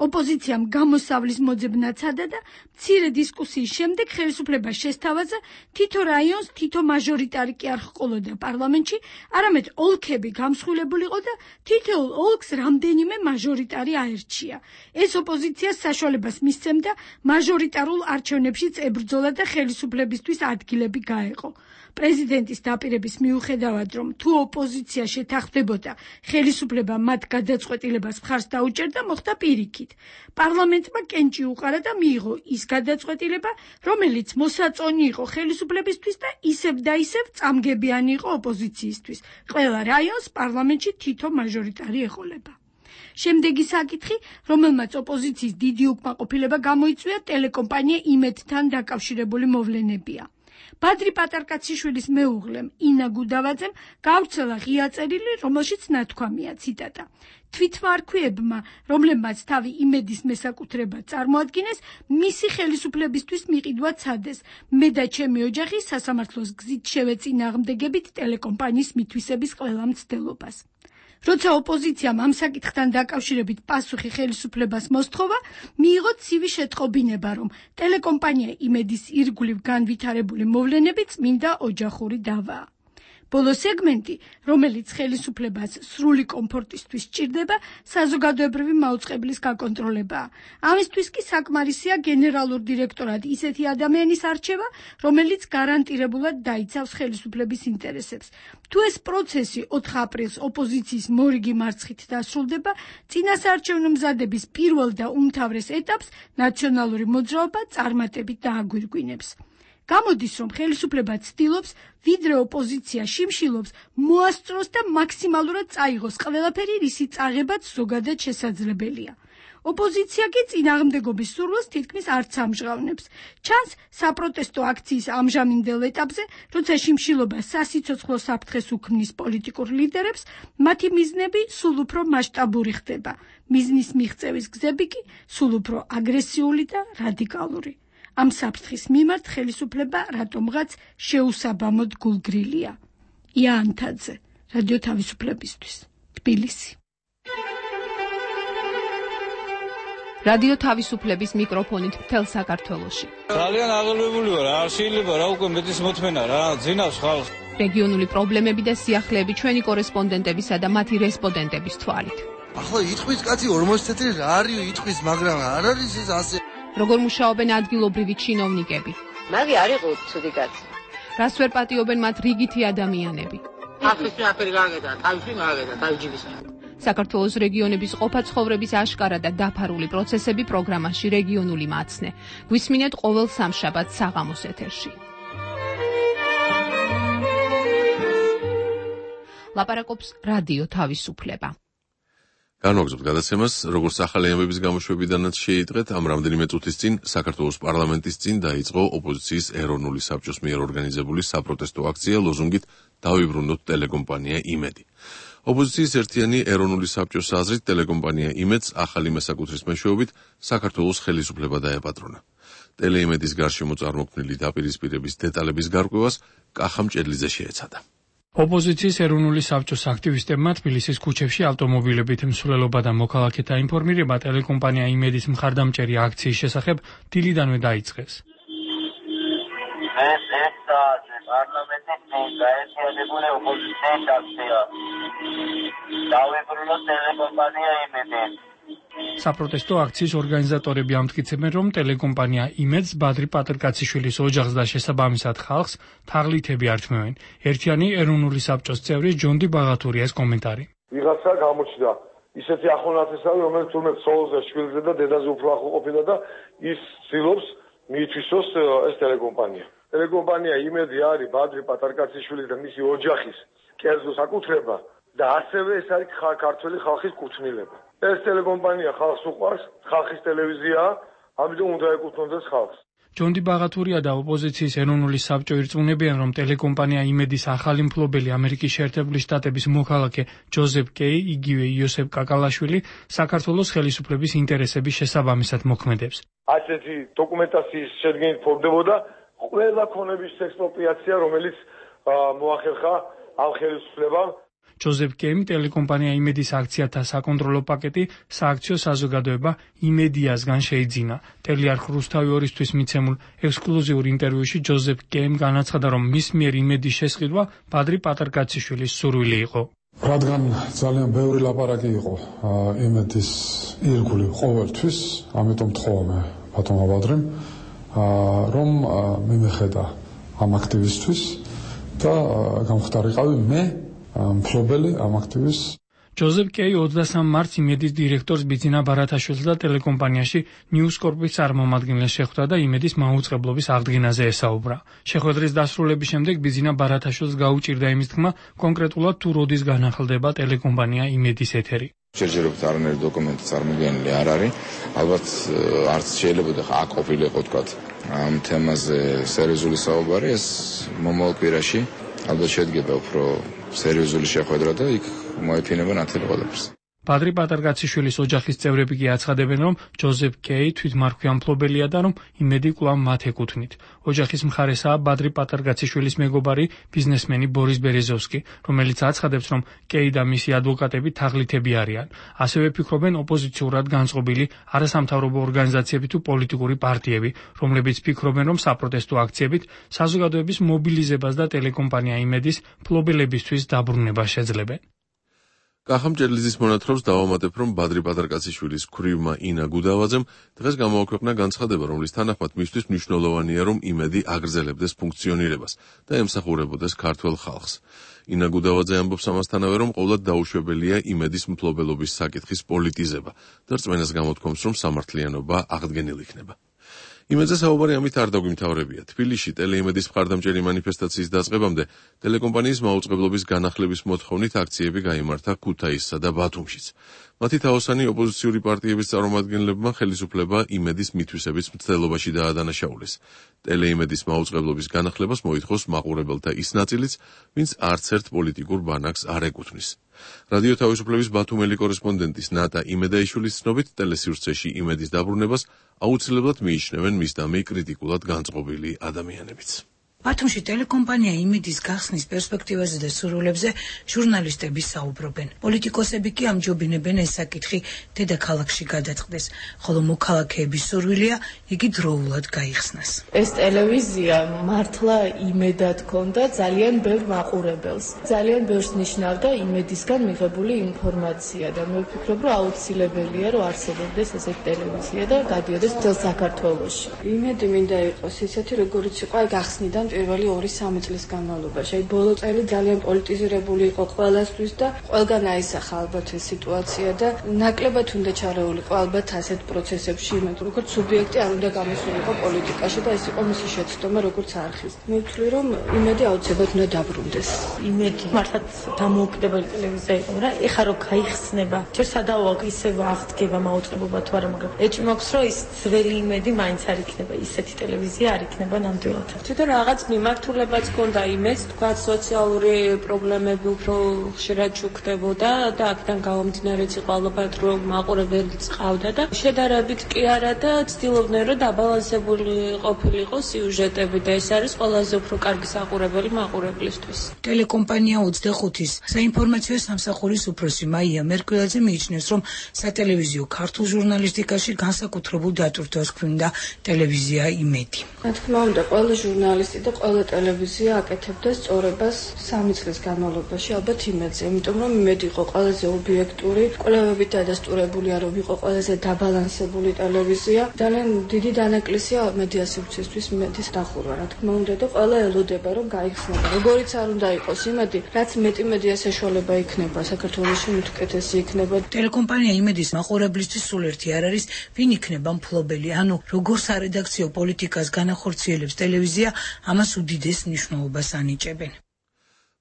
ოპოზიციამ გამოსავლის მოძებნა ცადა და მცირე დისკუსიის შემდეგ ხელისუფლება შესთავაზა თითო რაიონს თითო მაჟორიტარი კი არ ჰყოლოდა პარლამენტში, არამედ ოლქები გამსხვილებულიყო და თითოეულ ოლქს რამდენიმე მაჟორიტარი აერჩია. ეს ოპოზიციას საშუალებას მისცემდა მაჟორიტარულ არჩევნებშიც ებრძოლა და ხელისუფლებისთვის ადგილები გაეყო. პრეზიდენტის დაპირების მიუხედავად, რომ თუ ოპოზიცია შეთანხმდებოდა, ხელისუფლება მათ გადაწყვეტილებას მხარს დაუჭერდა, მოხდა პირიქით. პარლამენტმა კენჭი უყარა და მიიღო ის გადაწყვეტილება, რომელიც მოსაწონი იყო ხელისუფლებისთვის და ისევ და ისევ წამგებიანი იყო ოპოზიციისთვის. ყველა რაიონს პარლამენტში თითო მაჟორიტარი ეყოლება. შემდეგი საკითხი, რომელმაც ოპოზიციის დიდი უკმაყოფილება გამოიწვია, ტელეკომპანია იმედთან დაკავშირებული მოვლენებია. ბადრი პატარკაციშვილის მეუღლემ ინა გუდავაძემ გავრცელა ღია წერილი, რომელშიც ნათქვამია, ციტატა: თვითმარქვიებმა, რომლებმაც თავი იმედის მესაკუთრებად წარმოადგინეს, მისი ხელისუფლებისთვის მიყიდვა ცადეს. მე და ჩემი ოჯახი სასამართლოს გზით შევეწინააღმდეგებით ტელეკომპანიის მითვისების ყველა მცდელობას. როცა ოპოზიციამ ამ საკითხთან დაკავშირებით პასუხი ხელისუფლებას მოსთხოვა, მიიღო ცივი შეტყობინება, რომ ტელეკომპანია იმედის ირგვლივ განვითარებული მოვლენები წმინდა ოჯახური დავაა. ბოლო სეგმენტი, რომელიც ხელისუფლებას სრული კომფორტისთვის სჭირდება, საზოგადოებრივი მაუწყებლის გაკონტროლებაა. ამისთვის კი საკმარისია გენერალურ დირექტორად ისეთი ადამიანის არჩევა, რომელიც გარანტირებულად დაიცავს ხელისუფლების ინტერესებს. თუ ეს პროცესი ოთხ აპრილს ოპოზიციის მორიგი მარცხით დასრულდება, წინასაარჩევნო მზადების პირველ და უმთავრეს ეტაპს ნაციონალური მოძრაობა წარმატებით დააგვირგვინებს. გამოდის, რომ ხელისუფლება ცდილობს, ვიდრე ოპოზიცია შიმშილობს, მოასწროს და მაქსიმალურად წაიღოს ყველაფერი, რისი წაღებაც ზოგადად შესაძლებელია. ოპოზიცია კი წინააღმდეგობის სურვილს თითქმის არც ამჟღავნებს. ჩანს საპროტესტო აქციის ამჟამინდელ ეტაპზე, როცა შიმშილობა სასიცოცხლო საფრთხეს უქმნის პოლიტიკურ ლიდერებს, მათი მიზნები სულ უფრო მასშტაბური ხდება. მიზნის მიღწევის გზები კი სულ უფრო აგრესიული და რადიკალური. ამ საფრთხის მიმართ ხელისუფლება რატომღაც შეუსაბამოდ გულგრილია. ია ანთაძე, რადიო თავისუფლებისთვის, თბილისი. რადიო თავისუფლების მიკროფონით მთელ საქართველოში. ძალიან აღელვებული ვარ, არ შეიძლება რა უკვე მეტის მოთმენა რა, ძინავს ხალხს. რეგიონული პრობლემები და სიახლეები ჩვენი კორესპონდენტებისა და მათი რესპონდენტების თვალით. ახლა იტყვის კაცი ორმოცი წელი რა არის იტყვის, მაგრამ არ არის ეს ასე. როგორ მუშაობენ ადგილობრივი ჩინოვნიკები? მაგი არ იყო ცუდი კაცი. რას ვერ პატიობენ მათ რიგითი ადამიანები? ახლის ნაფერი გაგედა, თავში მაგედა, თავჯიბის. საქართველოს რეგიონების ყოფა-ცხოვრების აშკარა და დაფარული პროცესები პროგრამაში რეგიონული მაცნე. გვისმინეთ ყოველ სამშაბათს საღამოს ეთერში. ლაპარაკობს რადიო თავისუფლება. განვაგრძობთ გადაცემას, როგორც ახალი ამბების გამოშვებიდანაც შეიტყეთ, ამ რამდენიმე წუთის წინ საქართველოს პარლამენტის წინ დაიწყო ოპოზიციის ეროვნული საბჭოს მიერ ორგანიზებული საპროტესტო აქცია ლოზუნგით დავიბრუნოთ ტელეკომპანია იმედი. ოპოზიციის ერთიანი ეროვნული საბჭოს აზრით ტელეკომპანია იმედს ახალი მესაკუთრის მეშვეობით საქართველოს ხელისუფლება დაეპატრონა. ტელეიმედის გარშემო წარმოქმნილი დაპირისპირების დეტალების გარკვევას კახა მჭედლიძე შეეცადა. ოპოზიციის ეროვნული საბჭოს აქტივისტებმა თბილისის ქუჩებში ავტომობილებით მსვლელობა და მოქალაქეთა ინფორმირება ტელეკომპანია იმედის მხარდამჭერი აქციის შესახებ დილიდანვე დაიწყეს. ეს ეს პარლამენტის წინ გაერთიანებული ოპოზიციის აქცია. დავიბრუნოთ ტელეკომპანია იმედი. საპროტესტო აქციის ორგანიზატორები ამტკიცებენ, რომ ტელეკომპანია იმედს ბადრი პატრკაციშვილის ოჯახს და შესაბამისად ხალხს თაღლითები ართმევენ. ერთიანი ეროვნული საბჭოს წევრი ჯონდი ბაღათურია ეს კომენტარი. ვიღაცა გამოჩნდა ისეთი ახლონათესავი, რომელიც თურმე ცოლზე, შვილზე და დედაზე უფრო ახლო ყოფილა და ის ცდილობს მიითვისოს ეს ტელეკომპანია. ტელეკომპანია იმედი არის ბადრი პატრკაციშვილის და მისი ოჯახის კერძო საკუთრება და ასევე ეს არის ქართველი ხალხის კუთვნილება. ეს ტელეკომპანია ხალხს უყვარს, ხალხის ტელევიზიაა, ამიტომ უნდა ეკუთვნოდეს ხალხს. ჯონდი ბაღათურია და ოპოზიციის ეროვნული საბჭო ირწმუნებიან, რომ ტელეკომპანია იმედის ახალი მფლობელი ამერიკის შეერთებული შტატების მოქალაქე ჯოზეფ კეი, იგივე იოსებ კაკალაშვილი საქართველოს ხელისუფლების ინტერესების შესაბამისად მოქმედებს. ასეთი დოკუმენტაციის შედგენით ფორდებოდა ყველა ქონების ექსპროპრიაცია, რომელიც მოახერხა ამ ხელისუფლებამ. ჯოზეფ კეიმ ტელეკომპანია იმედის აქციათა საკონტროლო პაკეტი სააქციო საზოგადოება იმედიასგან შეიძინა. ტელიარხ რუსთავი ორისთვის მიცემულ ექსკლუზიურ ინტერვიუში ჯოზეფ კეიმ განაცხადა, რომ მის მიერ იმედის შესყიდვა ბადრი პატარკაციშვილის სურვილი იყო. რადგან ძალიან ბევრი ლაპარაკი იყო იმედის ირგული ყოველთვის, ამიტომ თხოვαμε ბატონმა ბადრიმ, რომ მიმეხედა ამ აქტივისტვის და გამხდარიყავი მე მფლობელი ამ აქტივისტს. ჯოზეფ კეი ოცდასამ მარტს იმედის დირექტორს ბიძინა ბარათაშვილს და ტელეკომპანიაში ნიუსკორპის წარმომადგენელს შეხვდა და იმედის მაუწყებლობის აღდგენაზე ესაუბრა. შეხვედრის დასრულების შემდეგ ბიძინა ბარათაშვილს გაუჭირდა იმის თქმა, კონკრეტულად თუ როდის განახლდება ტელეკომპანია იმედის ეთერი. ჯერჯერობით არანაირი დოკუმენტი წარმოდგენილი არ არის. ალბათ არც შეიძლება და აქ ყოფილიყო თქვა ამ თემაზე სერიოზული საუბარი, ეს მომავალ კვირაში ალბათ შედგება უფრო სერიოზული შეხვედრა და იქ მოეფინება ნათელი ყველაფერს. ბადრი პატარკაციშვილის ოჯახის წევრები კი აცხადებენ, რომ ჯოზეფ კეი თვითმარქვია მფლობელია და რომ იმედი კვლავ მათ ეკუთვნით. ოჯახის მხარესაა ბადრი პატარკაციშვილის მეგობარი ბიზნესმენი ბორის ბერეზოვსკი, რომელიც აცხადებს, რომ კეი და მისი ადვოკატები თაღლითები არიან. ასევე ფიქრობენ ოპოზიციურად განწყობილი არასამთავრობო ორგანიზაციები თუ პოლიტიკური პარტიები, რომლებიც ფიქრობენ, რომ საპროტესტო აქციებით საზოგადოების მობილიზებას და ტელეკომპანია იმედის მფლობელებისთვის დაბრუნება შეძლებენ. კახამ ჭერლიძის მონათხრობს დავამატებ, რომ ბადრი პატარკაციშვილის ქვრივმა ინა გუდავაძემ დღეს გამოაქვეყნა განცხადება, რომლის თანახმად მისთვის მნიშვნელოვანია, რომ იმედი აგრძელებდეს ფუნქციონირებას და ემსახურებოდეს ქართველ ხალხს. ინა გუდავაძე ამბობს ამასთანავე, რომ ყოვლად დაუშვებელია იმედის მფლობელობის საკითხის პოლიტიზება და რწმენას გამოთქვამს, რომ სამართლიანობა აღდგენილ იქნება. იმედზე საუბარი ამით არ დაგვიმთავრებია. თბილისში ტელეიმედის მხარდამჭერი მანიფესტაციის დაწყებამდე ტელეკომპანიის მაუწყებლობის განახლების მოთხოვნით აქციები გაიმართა ქუთაისსა და ბათუმშიც. მათი თაოსანი ოპოზიციური პარტიების წარმომადგენლებმა ხელისუფლება იმედის მითვისების მცდელობაში დაადანაშაულეს. ტელეიმედის მაუწყებლობის განახლებას მოითხოვს მაყურებელთა ის ნაწილიც, ვინც არც ერთ პოლიტიკურ ბანაკს არ ეკუთვნის. რადიო თავისუფლების ბათუმელი კორესპონდენტის ნატა იმედაიშვილის ცნობით, ტელესივრცეში იმედის დაბრუნებას აუცილებლად მიიჩნევენ მისდამი კრიტიკულად განწყობილი ადამიანებიც. ბათუმში ტელეკომპანია იმედის გახსნის პერსპექტივაზე და სურვილებზე ჟურნალისტები საუბრობენ. პოლიტიკოსები კი ამჯობინებენ ეს საკითხი დედაქალაქში გადაწყდეს, ხოლო მოქალაქეების სურვილია იგი დროულად გაიხსნას. ეს ტელევიზია მართლა იმედად ჰქონდა ძალიან ბევრ მაყურებელს. ძალიან ბევრს ნიშნავდა იმედისგან მიღებული ინფორმაცია და მე ვფიქრობ, რომ აუცილებელია, რომ არსებობდეს ესეთი ტელევიზია და გადიოდეს მთელ საქართველოში. იმედი მინდა იყოს ისეთი, როგორიც იყო გახსნიდან პირველი ორი სამი წლის განმავლობაში. აი ბოლო წელი ძალიან პოლიტიზირებული იყო ყველასთვის და ყველგან აისახა ალბათ ეს სიტუაცია და ნაკლებად უნდა ჩარეულიყო ალბათ ასეთ პროცესებში იმედი, როგორც სუბიექტი არ უნდა გამოსულიყო პოლიტიკაში და ეს იყო მისი შეცდომა როგორც არხის. მე ვთვლი, რომ იმედი აუცილებლად უნდა დაბრუნდეს. იმედი მართლაც დამოუკიდებელი ტელევიზია იყო, რა ეხა რო გაიხსნება. ჯერ სადაოა ისევ აღდგება მაუწყებლობა თუ არა, მაგრამ ეჭვი მაქვს, რომ ის ძველი იმედი მაინც არ იქნება, ისეთი ტელევიზია არ იქნება ნამდვილად. თვითონ რაღაც მიმართულებაც ჰქონდა იმედს, თქვა სოციალური პრობლემები უფრო ხშირად ჩუქდებოდა და აქედან გამომდინარეც იყო ალბათ რომ მაყურებელიც ყავდა და შედარებით კი არა და ცდილობდნენ რომ დაბალანსებული ყოფილიყო სიუჟეტები და ეს არის ყველაზე უფრო კარგი საყურებელი მაყურებლისთვის. ტელეკომპანია ოცდახუთის საინფორმაციო სამსახურის უფროსი მაია მერკველაძე მიიჩნევს, რომ სატელევიზიო ქართულ ჟურნალისტიკაში განსაკუთრებულ დატვირთვას ჰქონდა ტელევიზია იმედი. რა თქმა უნდა, ყველა ჟურნალისტი და ყველა ტელევიზია აკეთებდა სწორებას სამი წლის განმავლობაში ალბათ იმედზე, იმიტომ რომ იმედი იყო ყველაზე ობიექტური, კვლევებით დადასტურებული არ იყო ყველაზე დაბალანსებული ტელევიზია. ძალიან დიდი დანაკლისია მედია სივრცისთვის იმედის დახურვა, რა თქმა უნდა და ყველა ელოდება რომ გაიხსნება. როგორიც არ უნდა იყოს იმედი, რაც მეტი მედია საშუალება იქნება საქართველოში მეთუკეთესი იქნება. ტელეკომპანია იმედის მაყურებლისთვის სულ ერთი არ არის, ვინ იქნება მფლობელი, ანუ როგორ სარედაქციო პოლიტიკას განახორციელებს ტელევიზია, ამას უდიდეს მნიშვნელობას ანიჭებენ.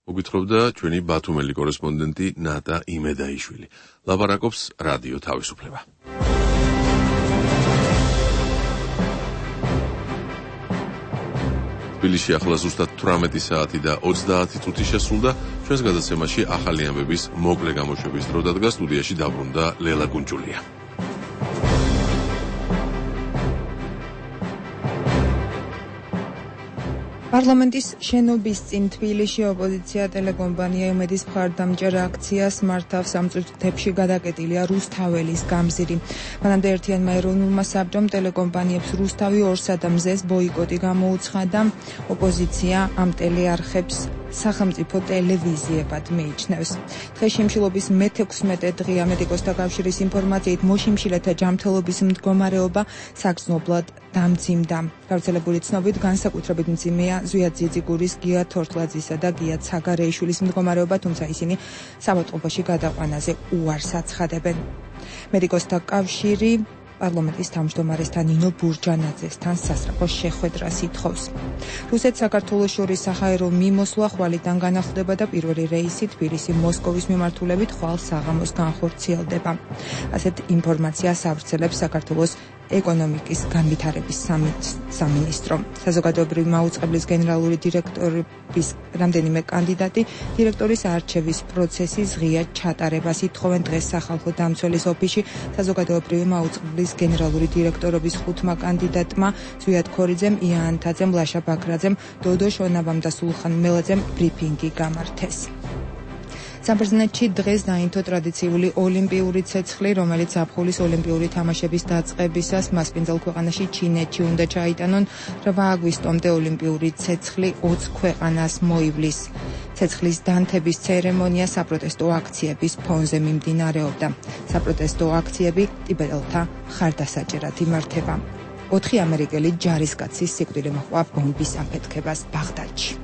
მოგვითხრობდა ჩვენი ბათუმელი კორესპონდენტი ნატა იმედაიშვილი. ლაპარაკობს რადიო თავისუფლება. თბილისში ახლა ზუსტად თვრამეტი საათი და ოცდაათი წუთი შესრულდა. ჩვენს გადაცემაში ახალი ამბების მოკლე გამოშვების დრო დადგა. სტუდიაში დაბრუნდა ლელა გუნჯულია. პარლამენტის შენობის წინ თბილისში ოპოზიცია ტელეკომპანია იმედის მხარდამჭერ აქციას მართავს. ამ წუთებში გადაკეტილია რუსთაველის გამზირი. მანამდე ერთიანმა ეროვნულმა საბჭომ ტელეკომპანიებს რუსთავი ორსა და მზეს ბოიკოტი გამოუცხადა. ოპოზიცია ამ ტელეარხებს სახელმწიფო ტელევიზიებად მიიჩნევს. დღეს შიმშილობის მეთექვსმეტე დღეა. მედიკოსთა კავშირის ინფორმაციით მოშიმშილეთა ჯანმრთელობის მდგომარეობა საგრძნობლად დამძიმდა. გავრცელებული ცნობით განსაკუთრებით მძიმეა ზვიად ძიძიგურის, გია თორთლაძისა და გია ცაგარეიშვილის მდგომარეობა, თუმცა ისინი საავადმყოფოში გადაყვანაზე უარს აცხადებენ. მედიკოსთა კავშირი პარლამენტის თავმჯდომარესთან ნინო ბურჯანაძესთან სასწრაფოს შეხვედრას ითხოვს. რუსეთს საქართველოს შორის საჰაერო მიმოსვლა ხვალიდან განახლდება და პირველი რეისი თბილისი-მოსკოვის მიმართულებით ხვალ საღამოს განხორციელდება. ასეთ ინფორმაციას ავრცელებს საქართველოს ეკონომიკის განვითარების სამინისტრო. საზოგადოებრივი მაუწყებლის გენერალური დირექტორების რამდენიმე კანდიდატი დირექტორის არჩევის პროცესის ღია ჩატარებას ითხოვენ. დღეს სახალხო დამცველის ოფისში საზოგადოებრივი მაუწყებლის გენერალური დირექტორობის ხუთმა კანდიდატმა ზვიად ქორიძემ, იან ანთაძემ, ლაშა ბაქრაძემ, დოდო შონაბამ და სულხან მელაძემ ბრიფინგი გამართეს. საბერძნეთში დღეს დაინთო ტრადიციული ოლიმპიური ცეცხლი, რომელიც ზაფხულის ოლიმპიური თამაშების დაწყებისას მასპინძელ ქვეყანაში ჩინეთში უნდა ჩაიტანონ. რვა აგვისტომდე ოლიმპიური ცეცხლი ოც ქვეყანას მოივლის. ცეცხლის დანთების ცერემონია საპროტესტო აქციების ფონზე მიმდინარეობდა. საპროტესტო აქციები ტიბეტელთა მხარდასაჭერად იმართება. ოთხი ამერიკელი ჯარისკაცის სიკვდილი მოჰყვა ბომბის აფეთქებას ბაღდადში.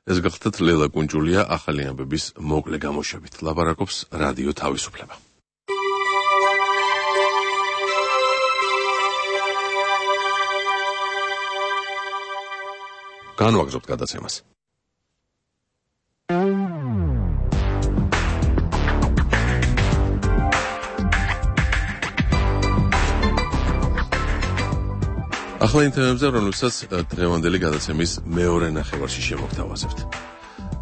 ეს გახლდათ ლელა გუნჯულია ახალი ამბების მოკლე გამოშვებით. ლაპარაკობს რადიო თავისუფლება. განვაგრძობთ გადაცემას. ახლა იმ თემებზე, რომელსაც დღევანდელი გადაცემის მეორე ნახევარში შემოგთავაზებთ.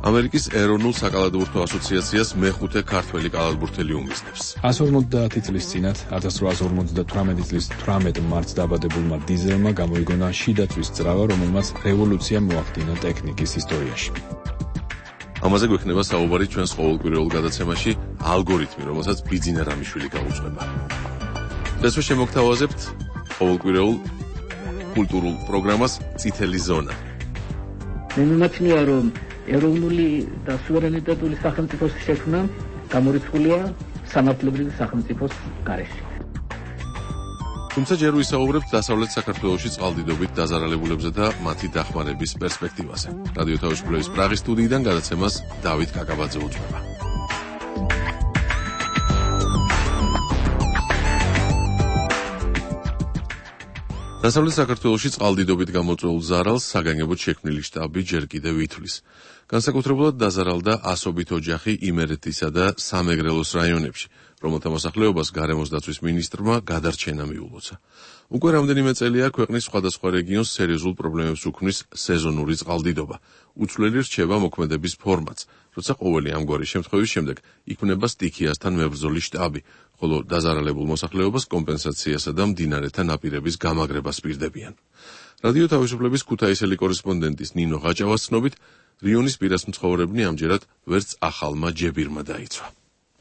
ამერიკის ეროვნულ საკალათბურთო ასოციაციას მეხუთე ქართველი კალათბურთელი უმიზნებს. ასი ორმოცდაათი წლის წინათ ათას რვაასი ორმოცდათვრამეტი წლის თვრამეტ მარტს დაბადებულმა დიზელმა გამოიგონა შიდაწვის ძრავა, რომელმაც რევოლუცია მოახდინა ტექნიკის ისტორიაში. ამაზე გვექნება საუბარი ჩვენს ყოველკვირეულ გადაცემაში ალგორითმი, რომელსაც ბიძინა რამიშვილი გაუძღვება. დღესვე შემოგთავაზებთ ყოველკვირეულ კულტურულ პროგრამას წითელი ზონა. მე მიმაჩნია, რომ ეროვნული და სუვერენიტეტული სახელმწიფოს შექმნა გამორიცხულია სამართლებრივი სახელმწიფოს გარეშე. თუმცა ჯერ ვისაუბრებთ დასავლეთ საქართველოში წყალდიდობით დაზარალებულებსა და მათი დახმარების პერსპექტივაზე. რადიო თავისუფლების პრაღის სტუდიიდან გადაცემას დავით კაკაბაძე უძღვება. დასავლეთ საქართველოში წყალდიდობით გამოწვეულ ზარალს საგანგებოდ შექმნილი შტაბი ჯერ კიდევ ითვლის. განსაკუთრებულად დაზარალდა ასობით ოჯახი იმერეთისა და სამეგრელოს რაიონებში, რომელთა მოსახლეობას გარემოს დაცვის მინისტრმა გადარჩენა მიულოცა. უკვე რამდენიმე წელია ქვეყნის სხვადასხვა რეგიონს სერიოზულ პრობლემებს უქმნის სეზონური წყალდიდობა. უცვლელი რჩება მოქმედების ფორმაც, როცა ყოველი ამგვარი შემთხვევის შემდეგ იქმნება სტიქიასთან მებრძოლი შტაბი, ხოლო დაზარალებულ მოსახლეობას კომპენსაციასა და მდინარეთა ნაპირების გამაგრებას პირდებიან. რადიო თავისუფლების ქუთაისელი კორესპონდენტის ნინო ღაჭავას ცნობით, რიონის პირას მცხოვრებნი ამჯერად ვერც ახალმა ჯებირმა დაიცვა.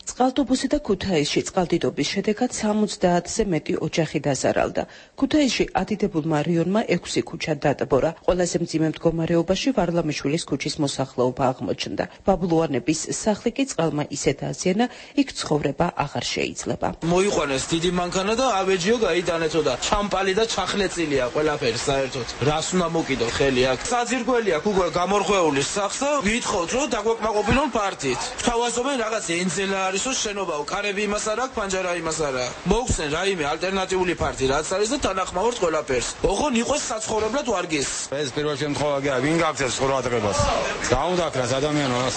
წყალტუბოსი და ქუთაისში წყალდიდობის შედეგად სამოცდაათზე მეტი ოჯახი დაზარალდა. ქუთაისში ადიდებულმა რიონმა ექვსი ქუჩა დატბორა. ყველაზე მძიმე მდგომარეობაში ვარლამიშვილის ქუჩის მოსახლეობა აღმოჩნდა. ბაბლუანების სახლი კი წყალმა ისეთ აზიანა, იქ ცხოვრება აღარ შეიძლება. მოიყვანეს დიდი მანქანა და ავეჯიო გაიტანეთო და ჩამპალი და ჩახლეწილია ყველაფერი საერთოდ. რას უნდა მოკიდო ხელი აქ? საძირკველი აქ უკვე გამორღვეული სახს და ვითხოვთ რომ დაგვეკმაყოფილონ პარტიით. გვთავაზობენ რაღაც ენზელა არისო შენობაო, კარები იმას არ აქვს, პანჯარა იმას არ აქვს. მოგხსენ რაიმე ალტერნატიული პარტია რაც არის და თანახმოვართ ყველაფერს. ოღონ იყოს საცხოვრებლად ვარგის. ეს პირველ შემთხვევაში ვინ გაგწევს ყურადღებას? დაუნდაქრას ადამიანს.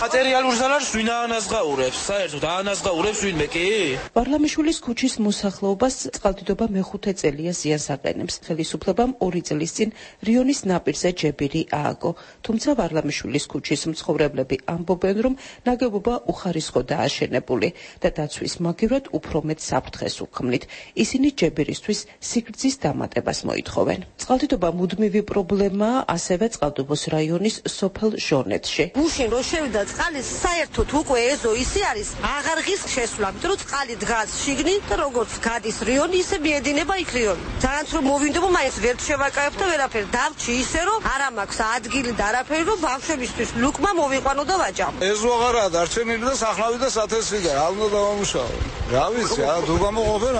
მატერიალურ ზარალს ვინ აანაზღაურებს? საერთოდ აანაზღაურებს ვინმე კი? პარლამიშვილის ქუჩის მოსახლეობას წყალდიდობა მეხუთე წელია ზიანს აყენებს. ხელისუფლებამ ორი წლის წინ რიონის ნაპირზე ჯებირი ააგო, თუმცა პარლამიშვილის ქუჩის მცხოვრებლები ამბობენ, რომ ნაგებობა უხარისხო დააშენებული და დაცვის მაგივრად უფრო მეტ საფრთხეს უქმნით. ისინი ჯებირისთვის სიგრძის დამატებას მოითხოვენ. წყალდიდობა მუდმივი პრობლემაა ასევე წყალტუბოს რაიონის სოფელ ჟონეთში. გუშინ რო შევიდა წყალი, საერთოდ უკვე ეზო ისი არის აღარღის შესვლა, იმიტომ რომ წყალი დგას შიგნით და როგორც გადის რიონი, ისე მიედინება იქ რიონი. ძალიან რომ მოვინდობო, მაინც ვერ შევაკავებ და ვერაფერ დავჭი ისე რომ არა მაქვს ადგილი და არაფერი, რომ ბავშვებისთვის ლუკმა მოვიყვანო და ვაჭამ. ეზო აღარაა დარჩენილი და სახნავი და სათესვი და რა უნდა დავამუშავო. რა ვიცი, ა თუ გამოყოფენ,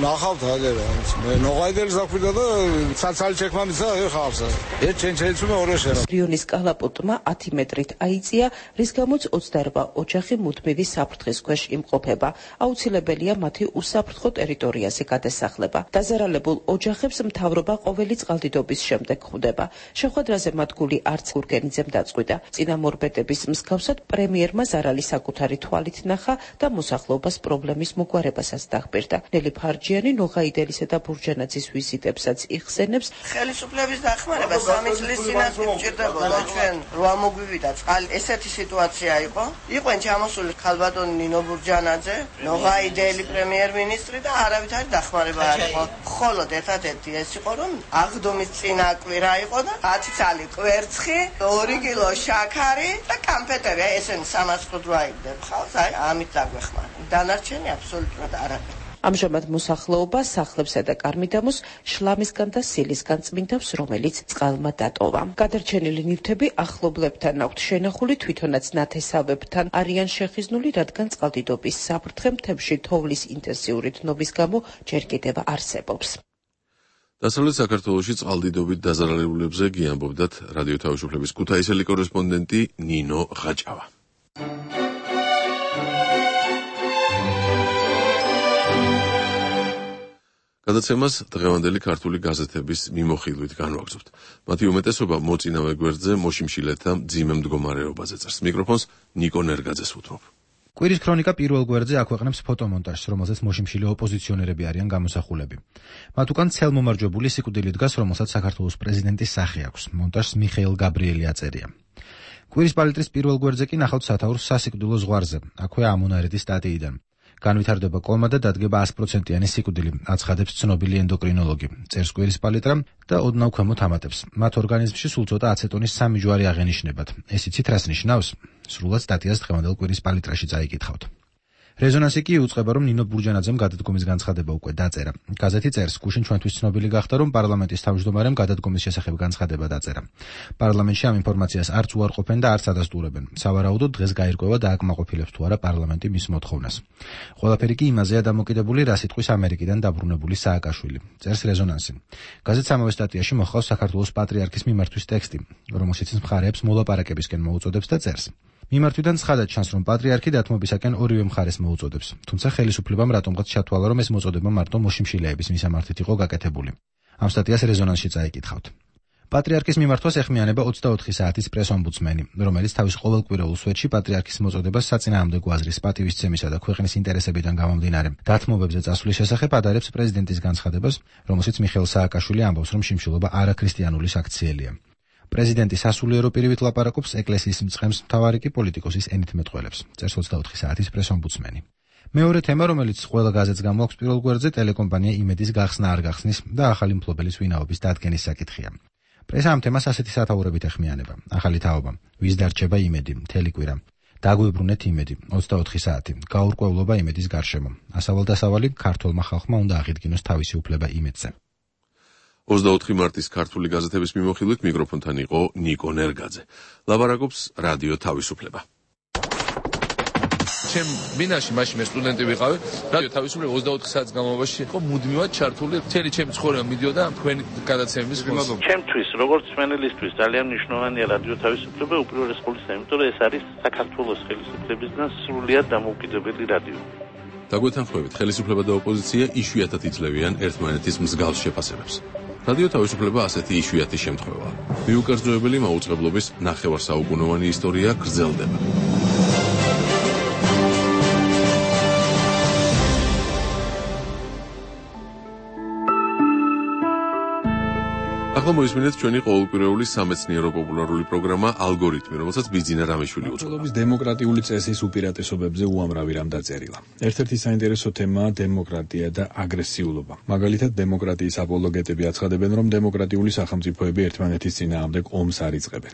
ნახავთ აგერა. მე ნოღაიდელი ზაქვიდა და ცალცალი ჩექმა მისცა ეხავს. ერთ ჩენჩელიც მე ორი შეერა. რიონის კალაპოტმა ათი მეტრით აიწია, რის გამოც ოცდაორ ოჯახი მუდმივი საფრთხის ქვეშ იმყოფება. აუცილებელია მათი უსაფრთხო ტერიტორიაზე გადასახლება. დაზარალებულ ოჯახებს მთავრობა ყოველი წყალდიდობის შემდეგ ხვდება. შეხვედრაზე მათ გული არც გურგენიძემ დაწყვიტა. წინამორბედების მსგავსად პრემიერმა ზარალი საკუთარი თვალით ნახა და მოსახლეობას პრობლემის მოგვარებასაც დახბირდა. ნელი ფარჯიანი ნოღაიდელისა და ბურჯანაძის ვიზიტებსაც იხსენებს. ხელისუფლების დახმარება სამი წლის წინაც მჭირდებოდა. ჩვენ რვა მოგვივიდა წყალი. ესეთი სიტუაცია იყო. იყვენ ჩამოსული ქალბატონი ნინო ბურჯანაძე, ნოღაიდელი პრემიერ-მინისტრი და არავითარი დახმარება არ იყო. მხოლოდ ერთადერთი ეს იყო, რომ აღდგომის წინა კვირა იყო და ათი ცალი კვერცხი, ორი კილო შაქარი და კამფეტები. ესენი სამას ხუთრაიგდებ ხავს, აი ამით დაგვეხმარა. დანარჩენი აბსოლუტურად არაფერი. ამჟამად მოსახლეობა სახლებსა და კარმიდამოს შლამისგან და სილისგან წმინდავს, რომელიც წყალმა დატოვა. გადარჩენილი ნივთები ახლობლებთან აქვთ შენახული, თვითონაც ნათესავებთან არიან შეხიზნული, რადგან წყალდიდობის საფრთხე მთებში თოვლის ინტენსიური დნობის გამო ჯერ კიდევ არსებობს. დასავლეთ საქართველოში წყალდიდობით დაზარალებულებზე გიამბობდათ რადიო თავისუფლების ქუთაისელი კორესპონდენტი ნინო ღაჭავა. გადაცემას დღევანდელი ქართული გაზეთების მიმოხილვით განვაგრძობთ. მათი უმეტესობა მოწინავე გვერდზე მოშიმშილეთა მძიმე მდგომარეობაზე წერს. მიკროფონს ნიკო ნერგაძეს უთმობ. კვირის ქრონიკა პირველ გვერდზე აქვეყნებს ფოტომონტაჟს, რომელზეც მოშიმშილე ოპოზიციონერები არიან გამოსახულები. მათ უკან ცელმომარჯვებული სიკვდილი დგას, რომელსაც საქართველოს პრეზიდენტის სახე აქვს. მონტაჟს მიხეილ გაბრიელი აწერია. კვირის პალიტრის პირველ გვერდზე კი ნახავთ სათაურს სასიკვდილო ზღვარზე, აქვე ამონარეთის სტატიიდან. განვითარდება კომა და დადგება ას პროცენტიანი სიკვდილი, აცხადებს ცნობილი ენდოკრინოლოგი. წერს კვირის პალიტრა და ოდნავ ქვემოთ ამატებს. მათ ორგანიზმში სულ ცოტა აცეტონის სამი ჯვარი აღენიშნებათ. ეს იცით რას ნიშნავს? სრულად სტატიას დღევანდელ კვირის პალიტრაში წაიკითხავთ. რეზონანსი კი იუწყება, რომ ნინო ბურჯანაძემ გადადგომის განცხადება უკვე დაწერა. გაზეთი წერს, გუშინ ჩვენთვის ცნობილი გახდა, რომ პარლამენტის თავმჯდომარემ გადადგომის შესახებ განცხადება დაწერა. პარლამენტში ამ ინფორმაციას არც უარყოფენ და არც ადასტურებენ. სავარაუდოდ დღეს გაირკვევა და აკმაყოფილებს თუ არა პარლამენტი მის მოთხოვნას. ყველაფერი კი იმაზეა დამოკიდებული, რა სიტყვის ამერიკიდან დაბრუნებული სააკაშვილი. წერს რეზონანსი. გაზეთს ამავე სტატიაში მოჰყავს საქართველოს პატრიარქის მიმართვის ტექსტი, რომელშიც მხარეებს მოლაპარაკებისკენ მოუწოდებს და წერს. მიმართვიდან ცხადად ჩანს, რომ პატრიარქი დათმობისაკენ ორივე მხარეს მოუწოდებს, თუმცა ხელისუფლებამ რატომღაც ჩათვალა, რომ ეს მოწოდება მარტო მოშიმშილეების მისამართით იყო გაკეთებული. ამ სტატიას რეზონანსში წაიკითხავთ. პატრიარქის მიმართვას ეხმიანება ოცდაოთხი საათის პრეს-ომბუდსმენი, რომელიც თავის ყოველკვირეულ სვეტში პატრიარქის მოწოდებას საწინააღმდეგო აზრის პატივისცემისა და ქვეყნის ინტერესებიდან გამომდინარე დათმობებზე წასვლის შესახებ ადარებს პრეზიდენტის განცხადებას, რომელშიც მიხეილ სააკაშვილი ამბობს, რომ შიმშილობა არაქრისტიანული საქციელია. პრეზიდენტი სასულიერო პირივით ლაპარაკობს, ეკლესიის მწყემს, მთავარი კი პოლიტიკოსის ენით მეტყველებს. წერს ოცდაოთხი საათის პრეს-ომბუდსმენი. მეორე თემა, რომელიც ყველა გაზეთს გამოაქვს პირველ გვერდზე, ტელეკომპანია იმედის გახსნა არ გახსნის და ახალი მფლობელის ვინაობის დადგენის საკითხია. პრესა ამ თემას ასეთი სათაურებით ეხმიანება. ახალი თაობა, ვის დარჩება იმედი, მთელი კვირა. დაგვიბრუნეთ იმედი, ოცდაოთხი საათი, გაურკვევლობა იმედის გარშემო. ასავალ-დასავალი ქართველმა ხალხმა უნდა აღიდგინოს თავისი უფლება იმედზე. ოცდაოთხი მარტის ქართული გაზეთების მიმოხილვით მიკროფონთან იყო ნიკო ნერგაძე. ლაპარაკობს რადიო თავისუფლება. ჩემ მინაში მაშინ მე სტუდენტი ვიყავი, რადიო თავისუფლება ოცდაოთხ საათის განმავლობაში იყო მუდმივად ჩართული, მთელი ჩემი ცხოვრება მიდიოდა თქვენი გადაცემების ფონზე. ჩემთვის, როგორც სვენელისთვის ძალიან მნიშვნელოვანია რადიო თავისუფლება უპირველეს ყოვლისა, იმიტომ რომ ეს არის საქართველოს ხელისუფლებისგან სრულიად დამოუკიდებელი რადიო. დაგვეთანხმებით, ხელისუფლება და ოპოზიცია იშვიათად იძლევიან ერთმანეთის მსგავს შეფასებებს. რადიო თავისუფლება ასეთი იშვიათი შემთხვევაა. მიუკერძოებელი მაუწყებლობის ნახევარსაუკუნოვანი ისტორია გრძელდება. ახლა მოისმინეთ ჩვენი ყოველკვირეული სამეცნიერო პოპულარული პროგრამა ალგორითმი, რომელსაც ბიძინა რამიშვილი უძღვება. მმართველობის დემოკრატიული წესის უპირატესობებზე უამრავი რამ დაწერილა. ერთ-ერთი საინტერესო თემაა დემოკრატია და აგრესიულობა. მაგალითად, დემოკრატიის აპოლოგეტები აცხადებენ, რომ დემოკრატიული სახელმწიფოები ერთმანეთის წინააღმდეგ ომს არ იწყებენ.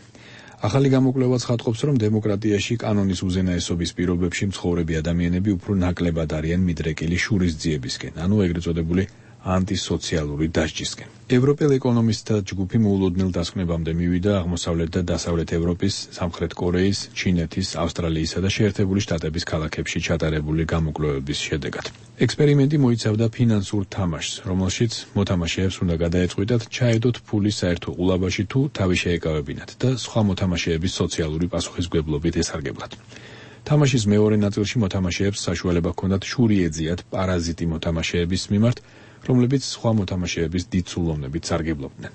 ახალი გამოკვლევაც ხატყობს, რომ დემოკრატიაში კანონის უზენაესობის პირობებში მცხოვრები ადამიანები უფრო ნაკლებად არიან მიდრეკილი შურისძიებისკენ, ანუ ეგრეთ წოდებული ანტისოციალური დასჯისკენ. ევროპელ ეკონომისტთა ჯგუფი მოულოდნელ დასკვნებამდე მივიდა აღმოსავლეთ და დასავლეთ ევროპის, სამხრეთ კორეის, ჩინეთის, ავსტრალიისა და შეერთებული შტატების ქალაქებში ჩატარებული გამოკვლევების შედეგად. ექსპერიმენტი მოიცავდა ფინანსურ თამაშს, რომელშიც მოთამაშეებს უნდა გადაეწყვიტათ ჩაედოთ ფული საერთო ყულაბაში თუ თავი შეეკავებინათ და სხვა მოთამაშეების სოციალური პასუხისმგებლობით ესარგებლათ. თამაშის მეორე ნაწილში მოთამაშეებს საშუალება ჰქონდათ შური ეძიათ პარაზიტი მოთამაშეების მიმართ, რომლებიც სხვა მოთამაშეების დიდ სულოვნებით სარგებლობდნენ.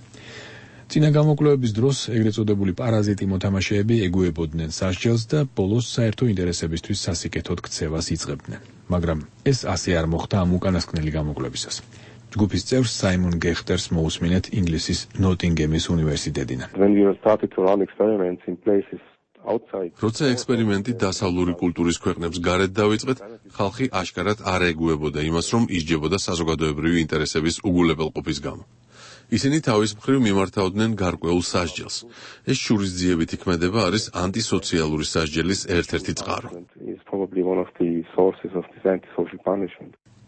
წინა გამოკვლევების დროს ეგრეთ წოდებული პარაზიტი მოთამაშეები ეგუებოდნენ სასჯელს და ბოლოს საერთო ინტერესებისთვის სასიკეთოდ ქცევას იწყებდნენ. მაგრამ ეს ასე არ მოხდა ამ უკანასკნელი გამოკვლევისას. ჯგუფის წევრს საიმონ გეხტერს მოусმინეთ ინგლისის ნოტინგემის უნივერსიტეტიდან. როცა ექსპერიმენტი დასავლური კულტურის ქვეყნებს გარეთ დავიწყეთ, ხალხი აშკარად არ ეგუებოდა იმას, რომ ისჯებოდა საზოგადოებრივი ინტერესების უგულებელყოფის გამო. ისინი თავის მხრივ მიმართავდნენ გარკვეულ სასჯელს. ეს შურისძიებითი ქმედება არის ანტისოციალური სასჯელის ერთ-ერთი წყარო.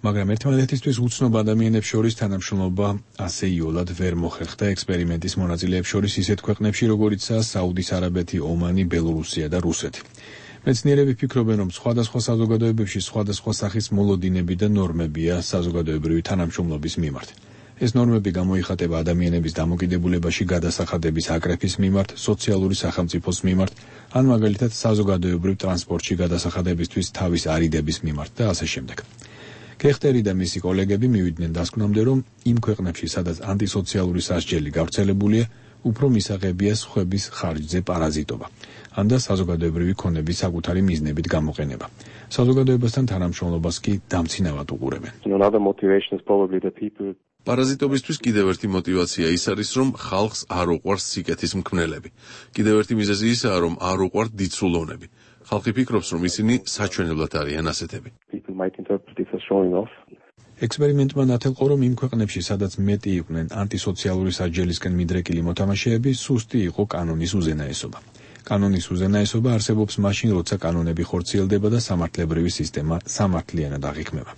მაგრამ ერთმანეთისთვის უცნობ ადამიანებს შორის თანამშრომლობა ასე იოლად ვერ მოხერხდა ექსპერიმენტის მონაწილეებს შორის ისეთ ქვეყნებში, როგორიცაა საუდის არაბეთი, ომანი, ბელორუსია და რუსეთი. მეცნიერები ფიქრობენ, რომ სხვადასხვა საზოგადოებებში სხვადასხვა სახის მოლოდინები და ნორმებია საზოგადოებრივი თანამშრომლობის მიმართ. ეს ნორმები გამოიხატება ადამიანების დამოკიდებულებაში გადასახადების აკრეფის მიმართ, სოციალური სახელმწიფოს მიმართ, ან მაგალითად საზოგადოებრივ ტრანსპორტში გადასახადებისთვის თავის არიდების მიმართ და ასე შემდეგ. გეხტერი და მისი კოლეგები მივიდნენ დასკვნამდე, რომ იმ ქვეყნებში, სადაც ანტისოციალური სასჯელი გავრცელებულია, უფრო მისაღებია სხვების ხარჯზე პარაზიტობა, ან და საზოგადოებრივი ქონების საკუთარი მიზნებით გამოყენება. საზოგადოებასთან თანამშრომლობას კი დამცინავად უყურებენ. პარაზიტობისთვის კიდევ ერთი мотиваცია ის არის, რომ ხალხს არ უყვარს სიკეთის მქმნელები. კიდევ ერთი მიზეზი ისაა, რომ არ უყვართ დიდსულოვნები. ხალხი ფიქრობს, რომ ისინი საჩვენებლად არიან ასეთები. ექსპერიმენტმა ნათელყო, რომ იმ ქვეყნებში, სადაც მეტი იყვნენ ანტისოციალური სასჯელისკენ მიდრეკილი მოთამაშეები, სუსტი იყო კანონის უზენაესობა. კანონის უზენაესობა არსებობს მაშინ, როცა კანონები ხორციელდება და სამართლებრივი სისტემა სამართლიანად აღიქმება.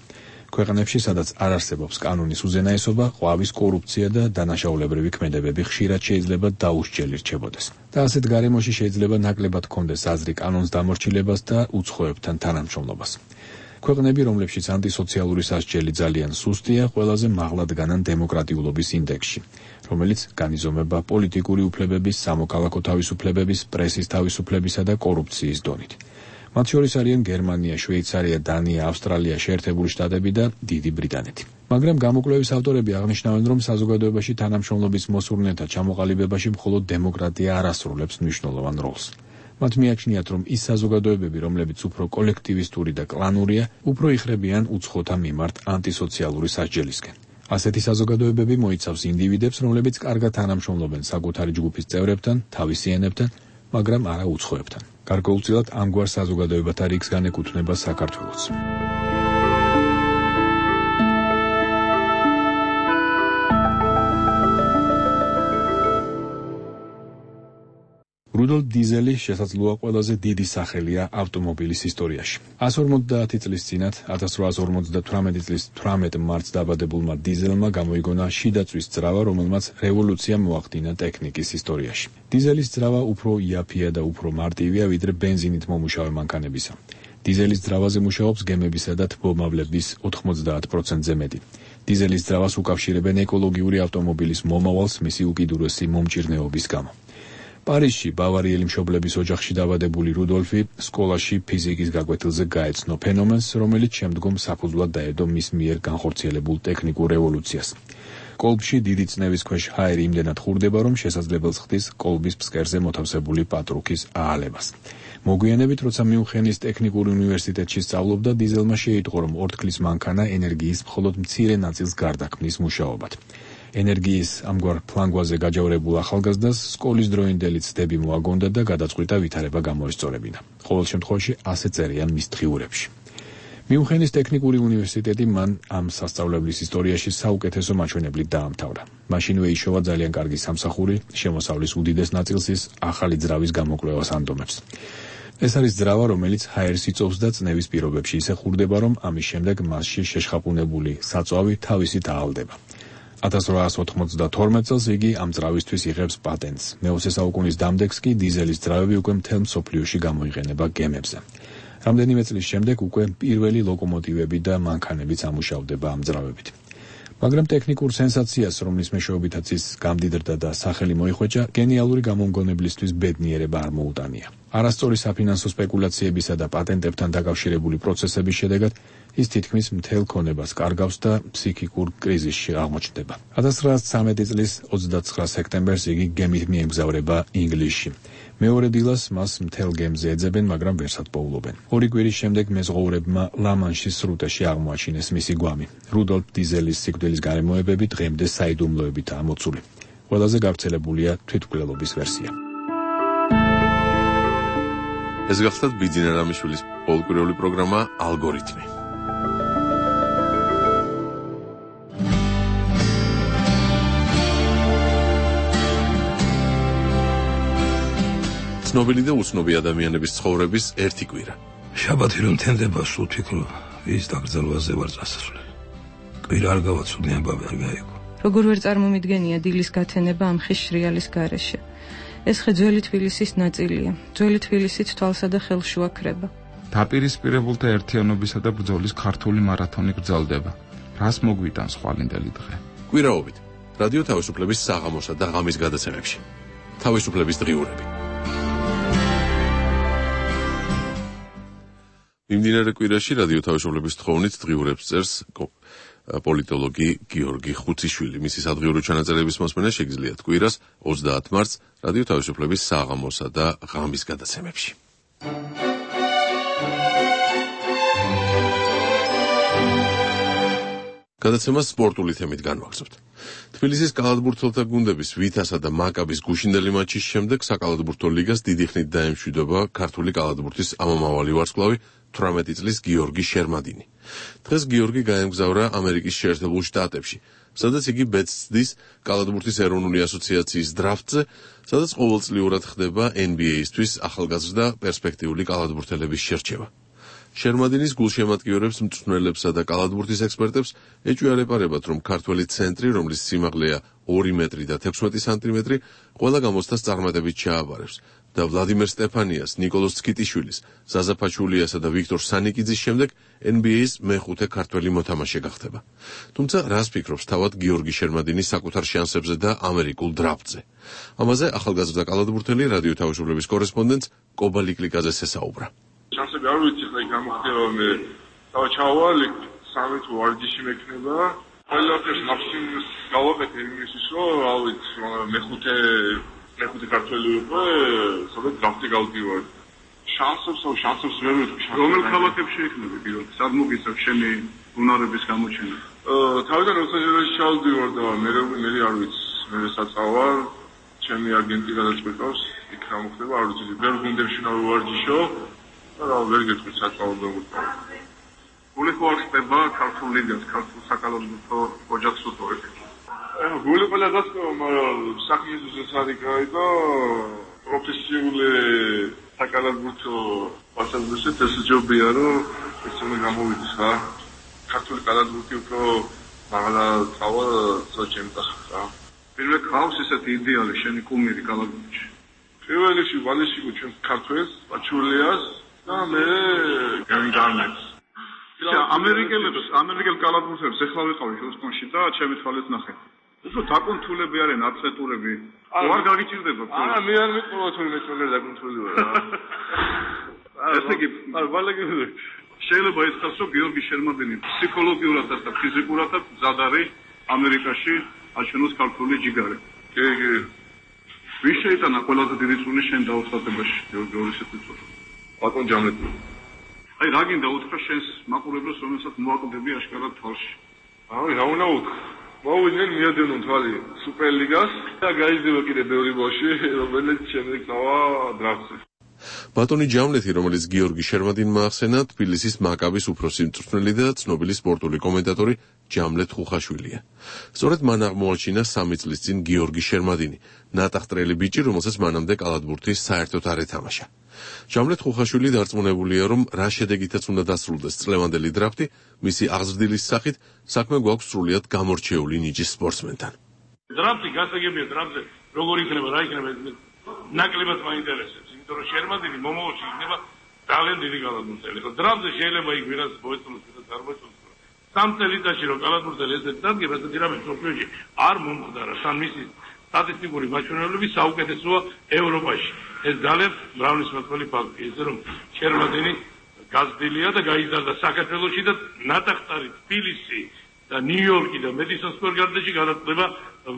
ქვეყნებში, სადაც არ არსებობს კანონის უზენაესობა, ყვავის კორუფცია და დანაშაულებრივი ქმედებები ხშირად შეიძლება დაუსჯელი რჩებოდეს. და ასეთ გარემოში შეიძლება ნაკლებად ჰქონდეს აზრი კანონს დამორჩილებას და უცხოებთან თანამშრომლობას. ქვეყნები, რომლებშიც ანტისოციალური სასჯელი ძალიან სუსტია, ყველაზე მაღლა დგანან დემოკრატიულობის ინდექსში, რომელიც განიზომება პოლიტიკური უფლებების, სამოქალაქო თავისუფლებების, პრესის თავისუფლებისა და კორუფციის დონით. მათ შორის არიან გერმანია, შვეიცარია, დანია, ავსტრალია, შეერთებული შტატები და დიდი ბრიტანეთი. მაგრამ გამოკვლევის ავტორები აღნიშნავენ, რომ საზოგადოებაში თანამშრომლობის მოსურნეთა ჩამოყალიბებაში მხოლოდ დემოკრატია არ ასრულებს მნიშვნელოვან როლს. მათ მიაჩნიათ, რომ ის საზოგადოებები, რომლებიც უფრო კოლექტივისტური და კლანურია, უფრო იხრებიან უცხოთა მიმართ ანტისოციალური სასჯელისკენ. ასეთი საზოგადოებები მოიცავს ინდივიდებს, რომლებიც კარგად თანამშრომლობენ საკუთარი ჯგუფის წევრებთან, თავისიანებთან, მაგრამ არა უცხოებთან. გარკვეულწილად ამგვარ საზოგადოებათა რიგს განეკუთვნება საქართველოც. რუდოლფ დიზელი შესაძლოა ყველაზე დიდი სახელია ავტომობილის ისტორიაში. εκατს ორმოცდაათი წლის წინათ, ათას რვაასი ორმოცდათვრამეტი წლის თვრამეტ მარტს დაბადებულმა დიზელმა გამოიგონა შიდაწვის ძრავა, რომელმაც რევოლუცია მოახდინა ტექნიკის ისტორიაში. დიზელის ძრავა უფრო იაფია და უფრო მარტივია, ვიდრე ბენზინით მომუშავე მანქანებისა. დიზელის ძრავაზე მუშაობს გემებისა და თბომავლების ოთხმოცდაათ პროცენტზე მეტი. დიზელის ძრავას უკავშირებენ ეკოლოგიური ავტომობილის მომავალს მისი უკიდურესი მომჭირნეობის გამო. პარიზში ბავარიელი მშობლების ოჯახში დაბადებული რუდოლფი სკოლაში ფიზიკის გაკვეთილზე გაეცნო ფენომენს, რომელიც შემდგომ საფუძვლად დაედო მის მიერ განხორციელებულ ტექნიკურ რევოლუციას. კოლბში დიდი წნევის ქვეშ ჰაერი იმდენად ხურდება, რომ შესაძლებელს ხდის კოლბის ფსკერზე მოთავსებული პატრუქის აალებას. მოგვიანებით, როცა მიუნხენის ტექნიკურ უნივერსიტეტში სწავლობდა, დიზელმა შეიტყო, რომ ორთქლის მანქანა ენერგიის მხოლოდ მცირე ნაწილს გარდაქმნის მუშაობად. ენერგიის ამგვარ ფლანგვაზე გაჯავრებულ ახალგაზრდას სკოლის დროინდელი ცდები მოაგონდა და გადაწყვიტა ვითარება გამოესწორებინა. ყოველ შემთხვევაში ასე წერია მის დღიურებში. მიუნხენის ტექნიკური უნივერსიტეტი მან ამ სასწავლებლის ისტორიაში საუკეთესო მაჩვენებლით დაამთავრა. მაშინვე იშოვა ძალიან კარგი სამსახური, შემოსავლის უდიდეს ნაწილს ის ახალი ძრავის გამოკვლევას ანდომებს. ეს არის ძრავა, რომელიც ჰაერს იწოვს და წნევის პირობებში ისე ხურდება, რომ ამის შემდეგ მასში შეშხაპუნებული საწვავი თავისით აალდება. ათას რვაას ოთხმოცდათორმეტ წელს იგი ამ ძრავისთვის იღებს პატენტს. მეოცე საუკუნის დამდეგს კი დიზელის ძრავები უკვე მთელ მსოფლიოში გამოიყენება გემებზე. რამდენიმე წლის შემდეგ უკვე პირველი ლოკომოტივები და მანქანებიც ამუშავდება ამ ძრავებით. მაგრამ ტექნიკურ სენსაციას, რომლის მეშვეობითაც ის გამდიდრდა და სახელი მოიხვეჭა, გენიალური გამომგონებლისთვის ბედნიერება არ მოუტანია. არასწორი საფინანსო სპეკულაციებისა და პატენტებთან დაკავშირებული პროცესების შედეგად ის თითქმის მთელ ქონებას კარგავს და ფსიქიკურ კრიზისში აღმოჩნდება. ათას ცხრაას ცხრამეტი წლის ოცდაცხრა სექტემბერს იგი გემით მიემგზავრება ინგლისში. მეორე დილას მას მთელ გემზე ეძებენ, მაგრამ ვერსად პოულობენ. ორი კვირის შემდეგ მეზღვაურებმა ლა-მანშის სრუტეში აღმოაჩინეს მისი გვამი. რუდოლფ დიზელის სიკვდილის გარემოებები დღემდე საიდუმლოებითაა მოცული. ყველაზე გავრცელებულია თვითმკვლელობის ვერსია. ეს გახლდათ ბიძინა რამიშვილის პოლკურიული პროგრამა ალგორითმი. ცნობილი და უცნობი ადამიანების ცხოვრების ერთი კვირა. შაბათი რომ თენდება, სულ ფიქრობ, ვის დაკრძალვაზე ვარ წასასვლელი. კვირა არ გავაცვლი, ამბავი არ გაიგო. როგორ ვერ წარმომიდგენია დილის გათენება ამ ხის შრიალის გარეშე. ეს ხე ძველი თბილისის ნაწილია. ძველი თბილისით თვალსა და ხელს შუაქრება. დაპირისპირებულთა ერთიანობისა და ბრძოლის ქართული მარათონი გრძელდება. რას მოგვიტანს ხვალინდელი დღე? კვირაობით რადიო თავისუფლების საღამოსა და ღამის გადაცემებში. თავისუფლების დღიურები. მიმდინარე კვირაში რადიო თავისუფლების თხოვნით დღიურებს წერს პოლიტოლოგი გიორგი ხუციშვილი. მისი სადღიურო ჩანაწერების მოსმენა შეგიძლიათ კვირას ოცდაათ მარტს რადიო თავისუფლების საღამოსა და ღამის გადაცემებში. გადაცემას სპორტული თემით განვაგრძობთ. თბილისის კალათბურთელთა გუნდების ვითასა და მაკაბის გუშინდელი მატჩის შემდეგ საკალათბურთო ლიგას დიდი ხნით დაემშვიდობა ქართული კალათბურთის ამომავალი ვარსკვლავი თვრამეტი წლის გიორგი შერმადინი. დღეს გიორგი გაემგზავრა ამერიკის შეერთებულ შტატებში, სადაც იგი ბედს ცდის კალათბურთის ეროვნული ასოციაციის დრაფტზე, სადაც ყოველწლიურად ხდება ენ ბი ეისთვის ახალგაზრდა პერსპექტიული კალათბურთელების შერჩევა. შერმადინის გულშემატკივრებს, მწვრთნელებსა და კალათბურთის ექსპერტებს ეჭვია არეპარებათ, რომ ქართველი ცენტრი, რომლის სიმაღლეა ორი მეტრი და თექვსმეტი სანტიმეტრი, ყველა გამოცდას წარმატებით ჩააბარებს და ვლადიმერ სტეფანიას, ნიკოლოზ ცკიტიშვილის, ზაზა ფაჩულიასა და ვიქტორ სანიკიძის შემდეგ ენ ბი ეის მეხუთე ქართველი მოთამაშე გახდება. თუმცა რას ფიქრობს თავად გიორგი შერმადინის საკუთარ შანსებზე და ამერიკულ დრაფტზე? ამაზე ახალგაზრდა კალათბურთელი რადიო თავისუფლების კორესპონდენტს კობა ლიკლიკაძე ესაუბრა. შანსები არ ვიცი, ხა გამოხდება მე თავ ჩავალ სამი თუ ვარჯიში მექნება. ყველაფერს მაქსიმუმს გავაკეთე იმისთვის, რომ რა ვიცი, მეხუთე მეხუთე ქართველი იყო, სადაც დრაფტი გავდივარ. შანსებს აუ შანსებს ვერ ვიტყვი. რომელ ქალაქებში იქნება პირველ? სად მოგიცავ შენი უნარების გამოჩენა? თავიდან ლოს-ანჯელესში ჩავდივარ და მე მე არ ვიცი, მე საწავარ, ჩემი აგენტი გადაწყვეტავს, იქ რა მოხდება, არ ვიცი, ვერ გუნდებში რა ვარჯიშო. რა ვერ გეტყვი საწავლებო მოწავე. გული ხო არ ხდება ქართულ ლიგას, ქართულ საკალათბურთო ოჯახს უთორებ. აა გული ყველა გასწავლა, მაგრამ საქმის ზუსტად გაიგო პროფესიული საკალათბურთო პასაჟირებს ეს ჯობია, რომ ეს უნდა გამოვიდეს რა. ქართული კალათბურთი უფრო მაღლა წავა საჩემპიონატში რა. პირველ ხავს ესეთი იდეალი შენი კუმირი კალათბურთში. პირველ რიგში ვალეში ჩვენ ქართველს, პაჩულიას და მე გამიგამებს. ისა ამერიკელებს, ამერიკელ კალათბურთელებს ეხლა ვიყავი ჰიუსტონში და ჩემი თვალით ნახე. ეს დაკონტროლები არიან ათლეტურები. არ გაგიჭირდება. არა, მე არ მიყოლა თუ მე წოლერ დაკონტროლები ვარ. ესე იგი, არ ვალეგები. შეიძლება ეს ხალხო გიორგი შერმადინი ფსიქოლოგიურადაც და ფიზიკურადაც მზად არის ამერიკაში აჩვენოს ქართული ჯიგარი. კი, კი. ვის შეიტანა ყველაზე დიდი წვლილი შენ დაუხსათებაში, გიორგი შეთვითონ. ბატონ ჯამლეტი. აი რა გინდა უთხრა შენს მაყურებლებს, რომელსაც მოაკვდები აშკარად თვალში. აი რა უნდა უთხრა? მოვიდნენ მიადენონ თვალი სუპერლიგას და გაიზრდება კიდე ბევრი ბავშვი, რომელიც შემდეგ წავა დრაფტზე. ბატონი ჯამლეთი, რომელიც გიორგი შერმადინმა ახსენა, თბილისის მაკაბის უფროსი მწვრთნელი და ცნობილი სპორტული კომენტატორი ჯამლეთ ხუხაშვილია. სწორედ მან აღმოაჩინა სამი წლის წინ გიორგი შერმადინი, ნატახტრელი ბიჭი, რომელსაც მანამდე კალათბურთის საერთოდ არ ეთამაშა. ჯამლეთ ხუხაშვილი დარწმუნებულია, რომ რა შედეგითაც უნდა დასრულდეს წლევანდელი დრაფტი, მისი აღზრდილის სახით საქმე გვაქვს სრულიად გამორჩეული ნიჭის სპორტსმენთან. დრაფტი გასაგებია დრაფტზე, როგორ იქნება, რა იქნება, ნაკლებად მაინტერესებს. იმიტომ რომ შერმადინი მომავალში იქნება ძალიან დიდი კალათბურთელი. ხო, დრაფტზე შეიძლება იქ ვიღაც მოეწონოს, ვიღაც არ მოეწონოს. სამ წელიწადში რომ კალათბურთელი ესეთ დადგება, ესეთი რამე სოფლიოში არ მომხდარა. სამ მისი სტატისტიკური მაჩვენებლები საუკეთესოა ევროპაში. ეს ძალიან მრავალისმოწმული ფაქტია, ისე რომ შერმადინი გაზრდილია და გაიზარდა საქართველოში და ნატახტარი თბილისი და ნიუ-იორკი და მედისონ სკვერ გარდენში გადაწყვეტა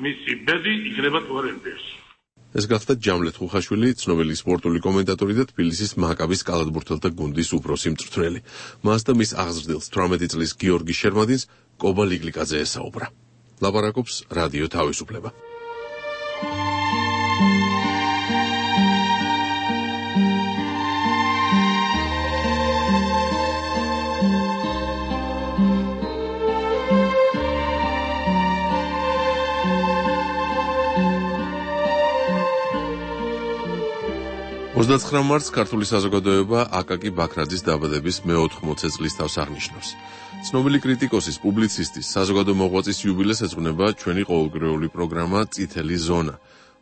მისი ბედი იქნება თუ არა ემპერში. ეს გახდა ჯამლეთ ხუხაშვილი, ცნობილი სპორტული კომენტატორი და თბილისის მაკაბის კალათბურთელთა გუნდის უფროსი მწვრთნელი. მას და მის აღზრდილს თვრამეტი წლის გიორგი შერმადინს კობა ლიგლიკაძე ესაუბრა. ლაპარაკობს რადიო თავისუფლება. ოცდაცხრა მარტს ქართული საზოგადოება აკაკი ბაქრაძის დაბადების მეოთხმოცე წლის თავს აღნიშნავს. ცნობილი კრიტიკოსის, პუბლიცისტის, საზოგადო მოღვაწის იუბილეს ეძღვნება ჩვენი ყოველდღიური პროგრამა წითელი ზონა,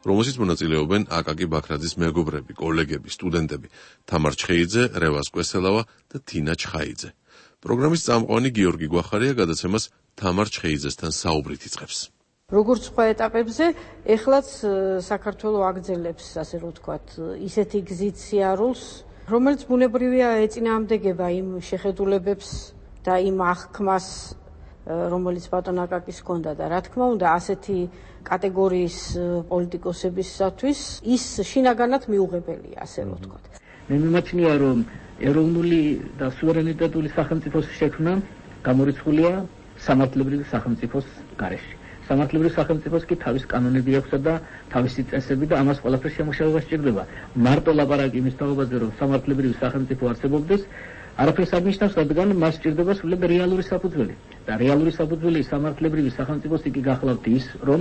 რომელშიც მონაწილეობენ აკაკი ბაქრაძის მეგობრები, კოლეგები, სტუდენტები, თამარ ჩხეიძე, რევაზ კვესელავა და თინა ჩხაიძე. პროგრამის წამყვანი გიორგი გვახარია გადაცემას თამარ ჩხეიძესთან საუბრით იწყებს. როგორც სხვა ეტაპებზე, ეხლაც საქართველო აგრძელებს, ასე რომ ვთქვათ, ისეთი გზით სიარულს, რომელიც ბუნებრივია ეწინააღმდეგება იმ შეხედულებებს და იმ აღქმას, რომელიც ბატონ აკაკის ჰქონდა და რა თქმა უნდა, ასეთი კატეგორიის პოლიტიკოსებისათვის ის შინაგანად მიუღებელია, ასე რომ ვთქვათ. მე მიმაჩნია, რომ ეროვნული და სუვერენიტეტული სახელმწიფოს შექმნა გამორიცხულია სამართლებრივი სახელმწიფოს გარეშე. სამართლებრივ სახელმწიფოს კი თავის კანონები აქვს და თავისი წესები და ამას ყველაფერს შემოშევა სჭირდება. მარტო ლაპარაკი იმის თაობაზე, რომ სამართლებრივი სახელმწიფო არსებობდეს, არაფერს არ ნიშნავს, რადგან მას სჭირდება სრულად რეალური საფუძველი. და რეალური საფუძველი სამართლებრივი სახელმწიფოს იგი გახლავთ ის, რომ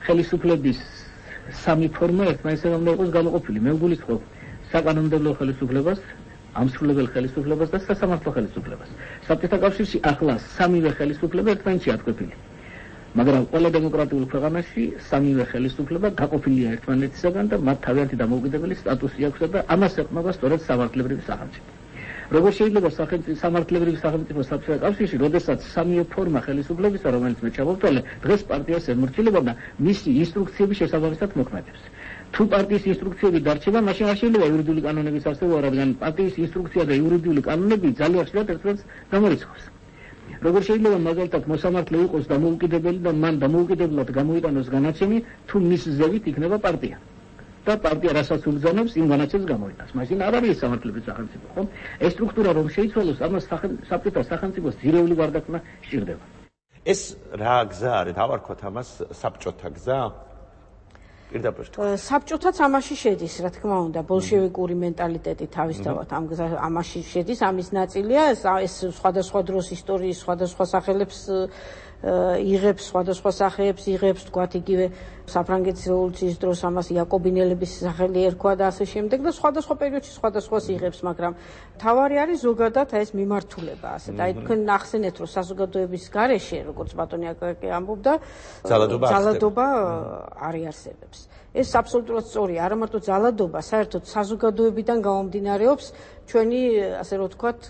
ხელისუფლების სამი ფორმა ერთმანეთთან უნდა იყოს გამოყოფილი. მე ვგულისხმობ საკანონმდებლო ხელისუფლებას, ამსრულებელ ხელისუფლებას და სასამართლო ხელისუფლებას. საბჭოთა კავშირში ახლა სამივე ხელისუფლება ერთმანეთში ათქვეფილი. მაგრამ ყველა დემოკრატიულ ქვეყანაში სამივე ხელისუფლება გაყოფილია ერთმანეთისაგან და მათ თავიანთი დამოუკიდებელი სტატუსი აქვს და ამას ეყრდნობა სწორედ სამართლებრივი სახელმწიფო. როგორ შეიძლება სამართლებრივი სახელმწიფო საბჭოთა კავშირში, როდესაც სამივე ფორმა ხელისუფლებისა, რომელიც მე ჩამოვთვალე, დღეს პარტიას ემორჩილება და მისი ინსტრუქციების შესაბამისად მოქმედებს. თუ პარტიის ინსტრუქციები დარჩება, მაშინ არ შეიძლება იურიდიული კანონების არსებობა, რადგან პარტიის ინსტრუქცია და იურიდიული კანონები ძალიან ხშირად ერთმანეთს გამორიცხავს. როგორ შეიძლება მაგალითად მოსამართლე იყოს დამოუკიდებელი და მან დამოუკიდებლად გამოიტანოს განაჩენი, თუ მის ზევით იქნება პარტია. და პარტია რასაც უბრძანებს, იმ განაჩენს გამოიტანს. მაშინ არ არის სამართლებრივი სახელმწიფო, ხო? ეს სტრუქტურა რომ შეიცვალოს, ამას საბჭოთა სახელმწიფოს ძირეული გარდაქმნა სჭირდება. ეს რა გზა არის? დავარქვათ ამას საბჭოთა გზა? პირდაპირ საბჭოთაც ამაში შედის, რა თქმა უნდა, ბოლშევიკური მენტალიტეტი თავისთავად ამ გზა ამაში შედის, ამის ნაწილია, ეს სხვადასხვა დროს ისტორიის სხვადასხვა სახელებს იღებს, სხვადასხვა სახეებს იღებს, თქვათ იგივე საფრანგეთის რევოლუციის დროს ამას იაკობინელების სახელი ერქვა და ასე შემდეგ და სხვადასხვა პერიოდში სხვადასხვას იღებს, მაგრამ თავარი არის ზოგადად ეს მიმართულება, ასე და აი თქვენ ახსენეთ, რომ საზოგადოების გარეშე, როგორც ბატონი აკაკი ამბობდა, ძალადობა ძალადობა არ იარსებებს. ეს აბსოლუტურად სწორია, არა მარტო ძალადობა, საერთოდ საზოგადოებიდან გამომდინარეობს ჩვენი ასე რომ ვთქვათ,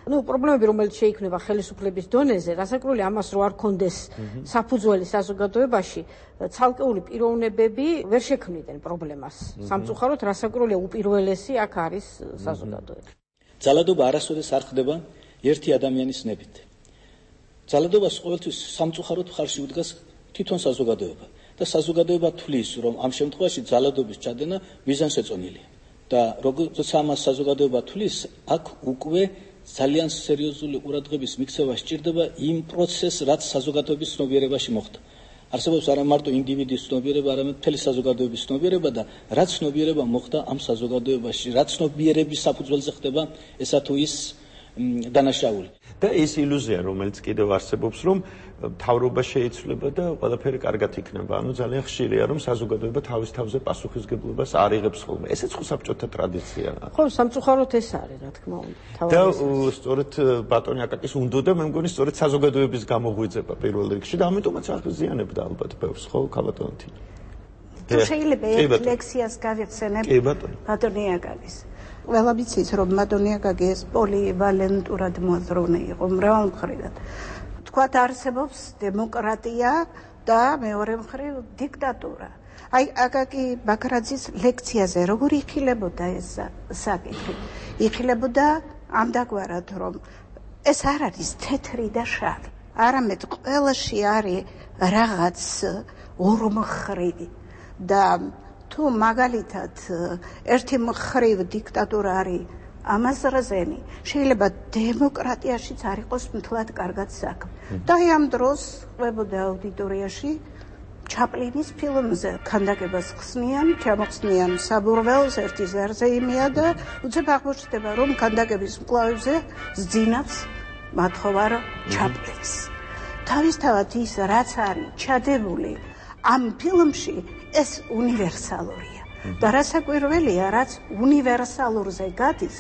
ну, პრობლემები, რომელიც შეიქმნება ხელისუფლების დონეზე, რასაკვირველია ამას რო არ კონდეს საფუძველი საზოგადოებაში, ცალკეული პიროვნებები ვერ შექმნიდნენ პრობლემას. სამწუხაროდ, რასაკვირველია უპირველესი აქ არის საზოგადოება. ძალადობა არასოდეს არ ხდება ერთი ადამიანის ნებით. ძალადობას ყოველთვის სამწუხაროდ მხარში უდგას თვითონ საზოგადოება და საზოგადოება თვლის, რომ ამ შემთხვევაში ძალადობის ჩადენა მიზანშეწონილია. და როგორც ამას საზოგადოება თვლის, აქ უკვე ძალიან სერიოზული ყურადღების მიქცევა სჭირდება იმ პროცესს, რაც საზოგადოების ცნობიერებაში მოხდა. არსებობს არა მარტო ინდივიდის ცნობიერება, არამედ მთელი საზოგადოების ცნობიერება და რაც ცნობიერება მოხდა ამ საზოგადოებაში, რაც ცნობიერების საფუძველზე ხდება ესა თუ ის დანაშაული. და ეს ილუზია, რომელიც კიდევ არსებობს, რომ მთავრობა შეიცვლება და ყველაფერი კარგად იქნება. ანუ ძალიან ხშირია, რომ საზოგადოება თავის თავზე პასუხისგებლობას არ იღებს ხოლმე. ესეც ხო საბჭოთა ტრადიციაა. ხო, სამწუხაროდ ეს არის, რა თქმა უნდა. და სწორედ ბატონი აკაკის უნდოდა, მე მგონი, სწორედ საზოგადოების გამოღვიძება პირველ რიგში და ამიტომაც აღიზიანებდა ალბათ ბევრს, ხო, ქალბატონი. თუ შეიძლება ერთ ლექსიას გავიხსენებ ბატონი აკაკის. ყველა ვიცით, რომ ბატონი აკაკი ეს პოლივალენტურად მოაზროვნე იყო მრავალმხრივად. თქვათ არსებობს დემოკრატია და მეორე მხრივ დიქტატურა. აი აკაკი ბაქრაძის ლექციაზე როგორ იხილებოდა ეს საკითხი? იხილებოდა ამდაგვარად, რომ ეს არ არის თეთრი და შავი. არამედ ყველაში არის რაღაც ორმხრივი და თუ მაგალითად ერთი მხრივ დიქტატურა არის ამაზრაზენი, შეიძლება დემოკრატიაშიც არ იყოს მთლად კარგად საქმე. და ამ დროს ყვებოდა აუდიტორიაში ჩაპლინის ფილმზე ქანდაკებას ხსნიან, ჩამოხსნიან საბურველს, ერთი ზარზე იმია და უცებ აღმოჩნდება, რომ ქანდაკების მკლავებზე ზძინავს მათხოვარ ჩაპლინს. თავისთავად ის, რაც არის ჩადებული ამ ფილმში, ეს უნივერსალურია. და რასაკვირველია, რაც უნივერსალურზე გადის,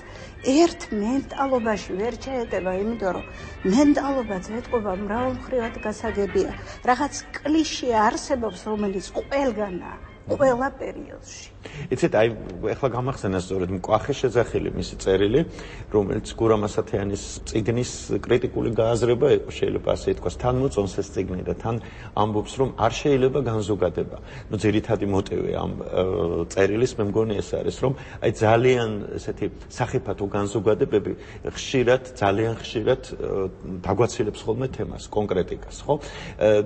ერთ მენტალობაში ვერ შეეტება, იმიტომ რომ მენტალობაც ეთყობა მრავალმხრივად გასაგებია. რაღაც კლიშე არსებობს, რომელიც ყველგანაა, ყველა პერიოდში. იცით, აი, ეხლა გამახსენა სწორედ მკვახე შეძახილი მისი წერილი, რომელიც გურამ ასათიანის წიგნის კრიტიკული გააზრება იყო, შეიძლება ასე ითქვას, თან მოწონს ეს წიგნი და თან ამბობს, რომ არ შეიძლება განზოგადება. ნუ ძირითადი მოტივი ამ წერილის მე მგონი ეს არის, რომ აი ძალიან ესეთი სახიფათო განზოგადებები ხშირად, ძალიან ხშირად დაგვაცილებს ხოლმე თემას, კონკრეტიკას, ხო?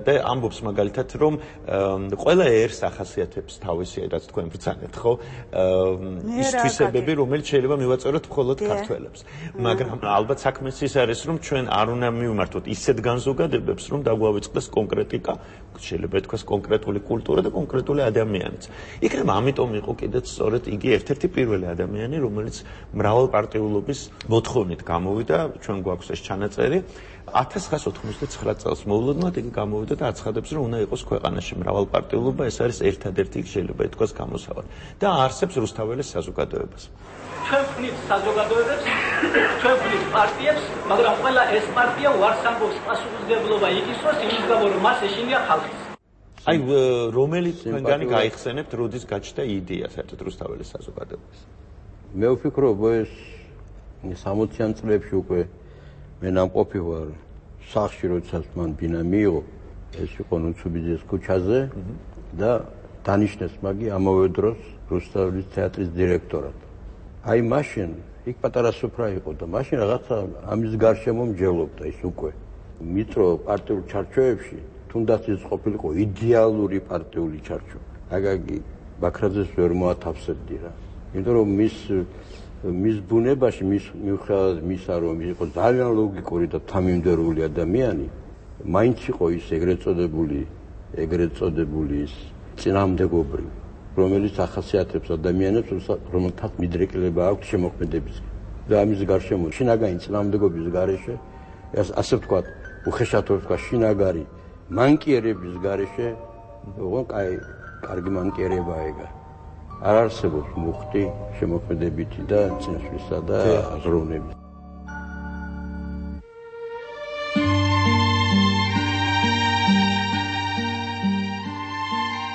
და ამბობს მაგალითად, რომ ყველა ერს ახასიათებს თავისი, რაც თქვენ ბრძანეთ, ხო? ის თვისებები, რომელიც შეიძლება მივაწეროთ მხოლოდ ქართველებს. მაგრამ ალბათ საქმეს ის არის, რომ ჩვენ არ უნდა მივმართოთ ისეთ განზოგადებებს, რომ დაგვავიწყდეს კონკრეტიკა, შეიძლება ითქვას კონკრეტული კულტურა და კონკრეტული ადამიანიც. იქნება ამიტომ იყო კიდეც სწორედ იგი ერთ-ერთი პირველი ადამიანი, რომელიც მრავალპარტიულობის მოთხოვნით გამოვიდა, ჩვენ გვაქვს ეს ჩანაწერი. ათას ცხრაას ოთხმოცდათცხრა წელს მოულოდნელად იგი გამოვიდა და აცხადებს, რომ უნდა იყოს ქვეყანაში მრავალპარტიულობა, ეს არის ერთადერთი შეიძლება ითქვას გამოსავალი. და არსებს რუსთაველის საზოგადოებას. ჩვენ ვქნით საზოგადოებებს, ჩვენ ვქნით პარტიებს, მაგრამ ყველა ეს პარტია უარს ამბობს პასუხისმგებლობა იგისოს იმის გამო, რომ მას ეშინია ხალხის. აი, რომელი თქვენგანი გაიხსენებთ, როდის გაჩნდა იდეა საერთოდ რუსთაველის საზოგადოებას? მე ვფიქრობ, ეს სამოციან წლებში უკვე მე ნამყოფი ვარ სახში, როდესაც მან ბინა მიიღო, ეს იყო ნუცუბიძის ქუჩაზე და დანიშნეს მაგი ამავე დროს რუსთაველის თეატრის დირექტორად. აი მაშინ იქ პატარა სუფრა იყო და მაშინ რაღაცა ამის გარშემო მჯელობდა ის უკვე. მიტრო პარტიულ ჩარჩოებში, თუნდაც ის ყოფილიყო იდეალური პარტიული ჩარჩო. აკაკი ბაქრაძეს ვერ მოათავსებდი რა. იმიტომ რომ მის მის ბუნებაში, მის მიუხედავად მისა, რომ იყო ძალიან ლოგიკური და თამიმდევრული ადამიანი, მაინც იყო ის ეგრეთ წოდებული, ეგრეთ წოდებული ის წინამდებობრივი, რომელიც ახასიათებს ადამიანებს, რომელთაც მიდრეკილება აქვს შემოქმედებისკენ. და ამის გარშემო შინაგანი წინამდებობის გარეშე, ასე ვთქვათ, უხეშად ვთქვათ, შინაგანი მანკიერების გარეშე, ოღონდ კაი, კარგი მანკიერებაა ეგა. არ არსებობს მუხტი შემოქმედებითი და წინსვლისა და აზროვნების.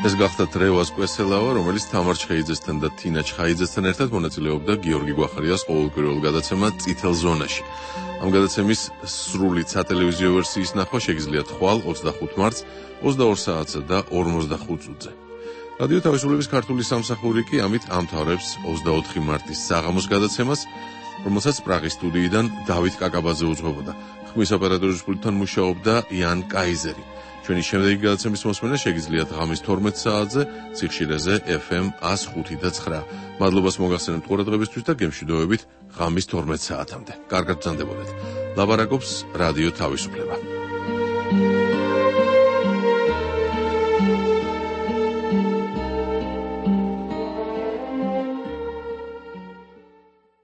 ეს გახდათ რევას კვესელავა, რომელიც თამარ ჩხეიძესთან და თინა ჩხაიძესთან ერთად მონაწილეობდა გიორგი გვახარიას ყოველკვირველ გადაცემა წითელ ზონაში. ამ გადაცემის სრული სატელევიზიო ვერსიის ნახვა შეგიძლიათ ხვალ ოცდახუთ მარტს ოცდაორ საათსა და ორმოცდახუთ წუთზე. რადიო თავისუფლების ქართული სამსახური კი ამით ამთავრებს ოცდაოთხი მარტის საღამოს გადაცემას, რომელსაც პრაღის სტუდიიდან დავით კაკაბაძე უძღვებოდა. ხმის ოპერატორის პულტთან მუშაობდა იან კაიზერი. ჩვენი შემდეგი გადაცემის მოსმენა შეგიძლიათ ღამის თორმეტ საათზე ციხშირეზე ეფ ემ ათს ხუთი და ცხრა. მადლობას მოგახსენებთ ყურადღებისთვის და გემშვიდობებით ღამის თორმეტ საათამდე. კარგად ბრძანდებოდეთ. ლაბარაკობს რადიო თავისუფლება.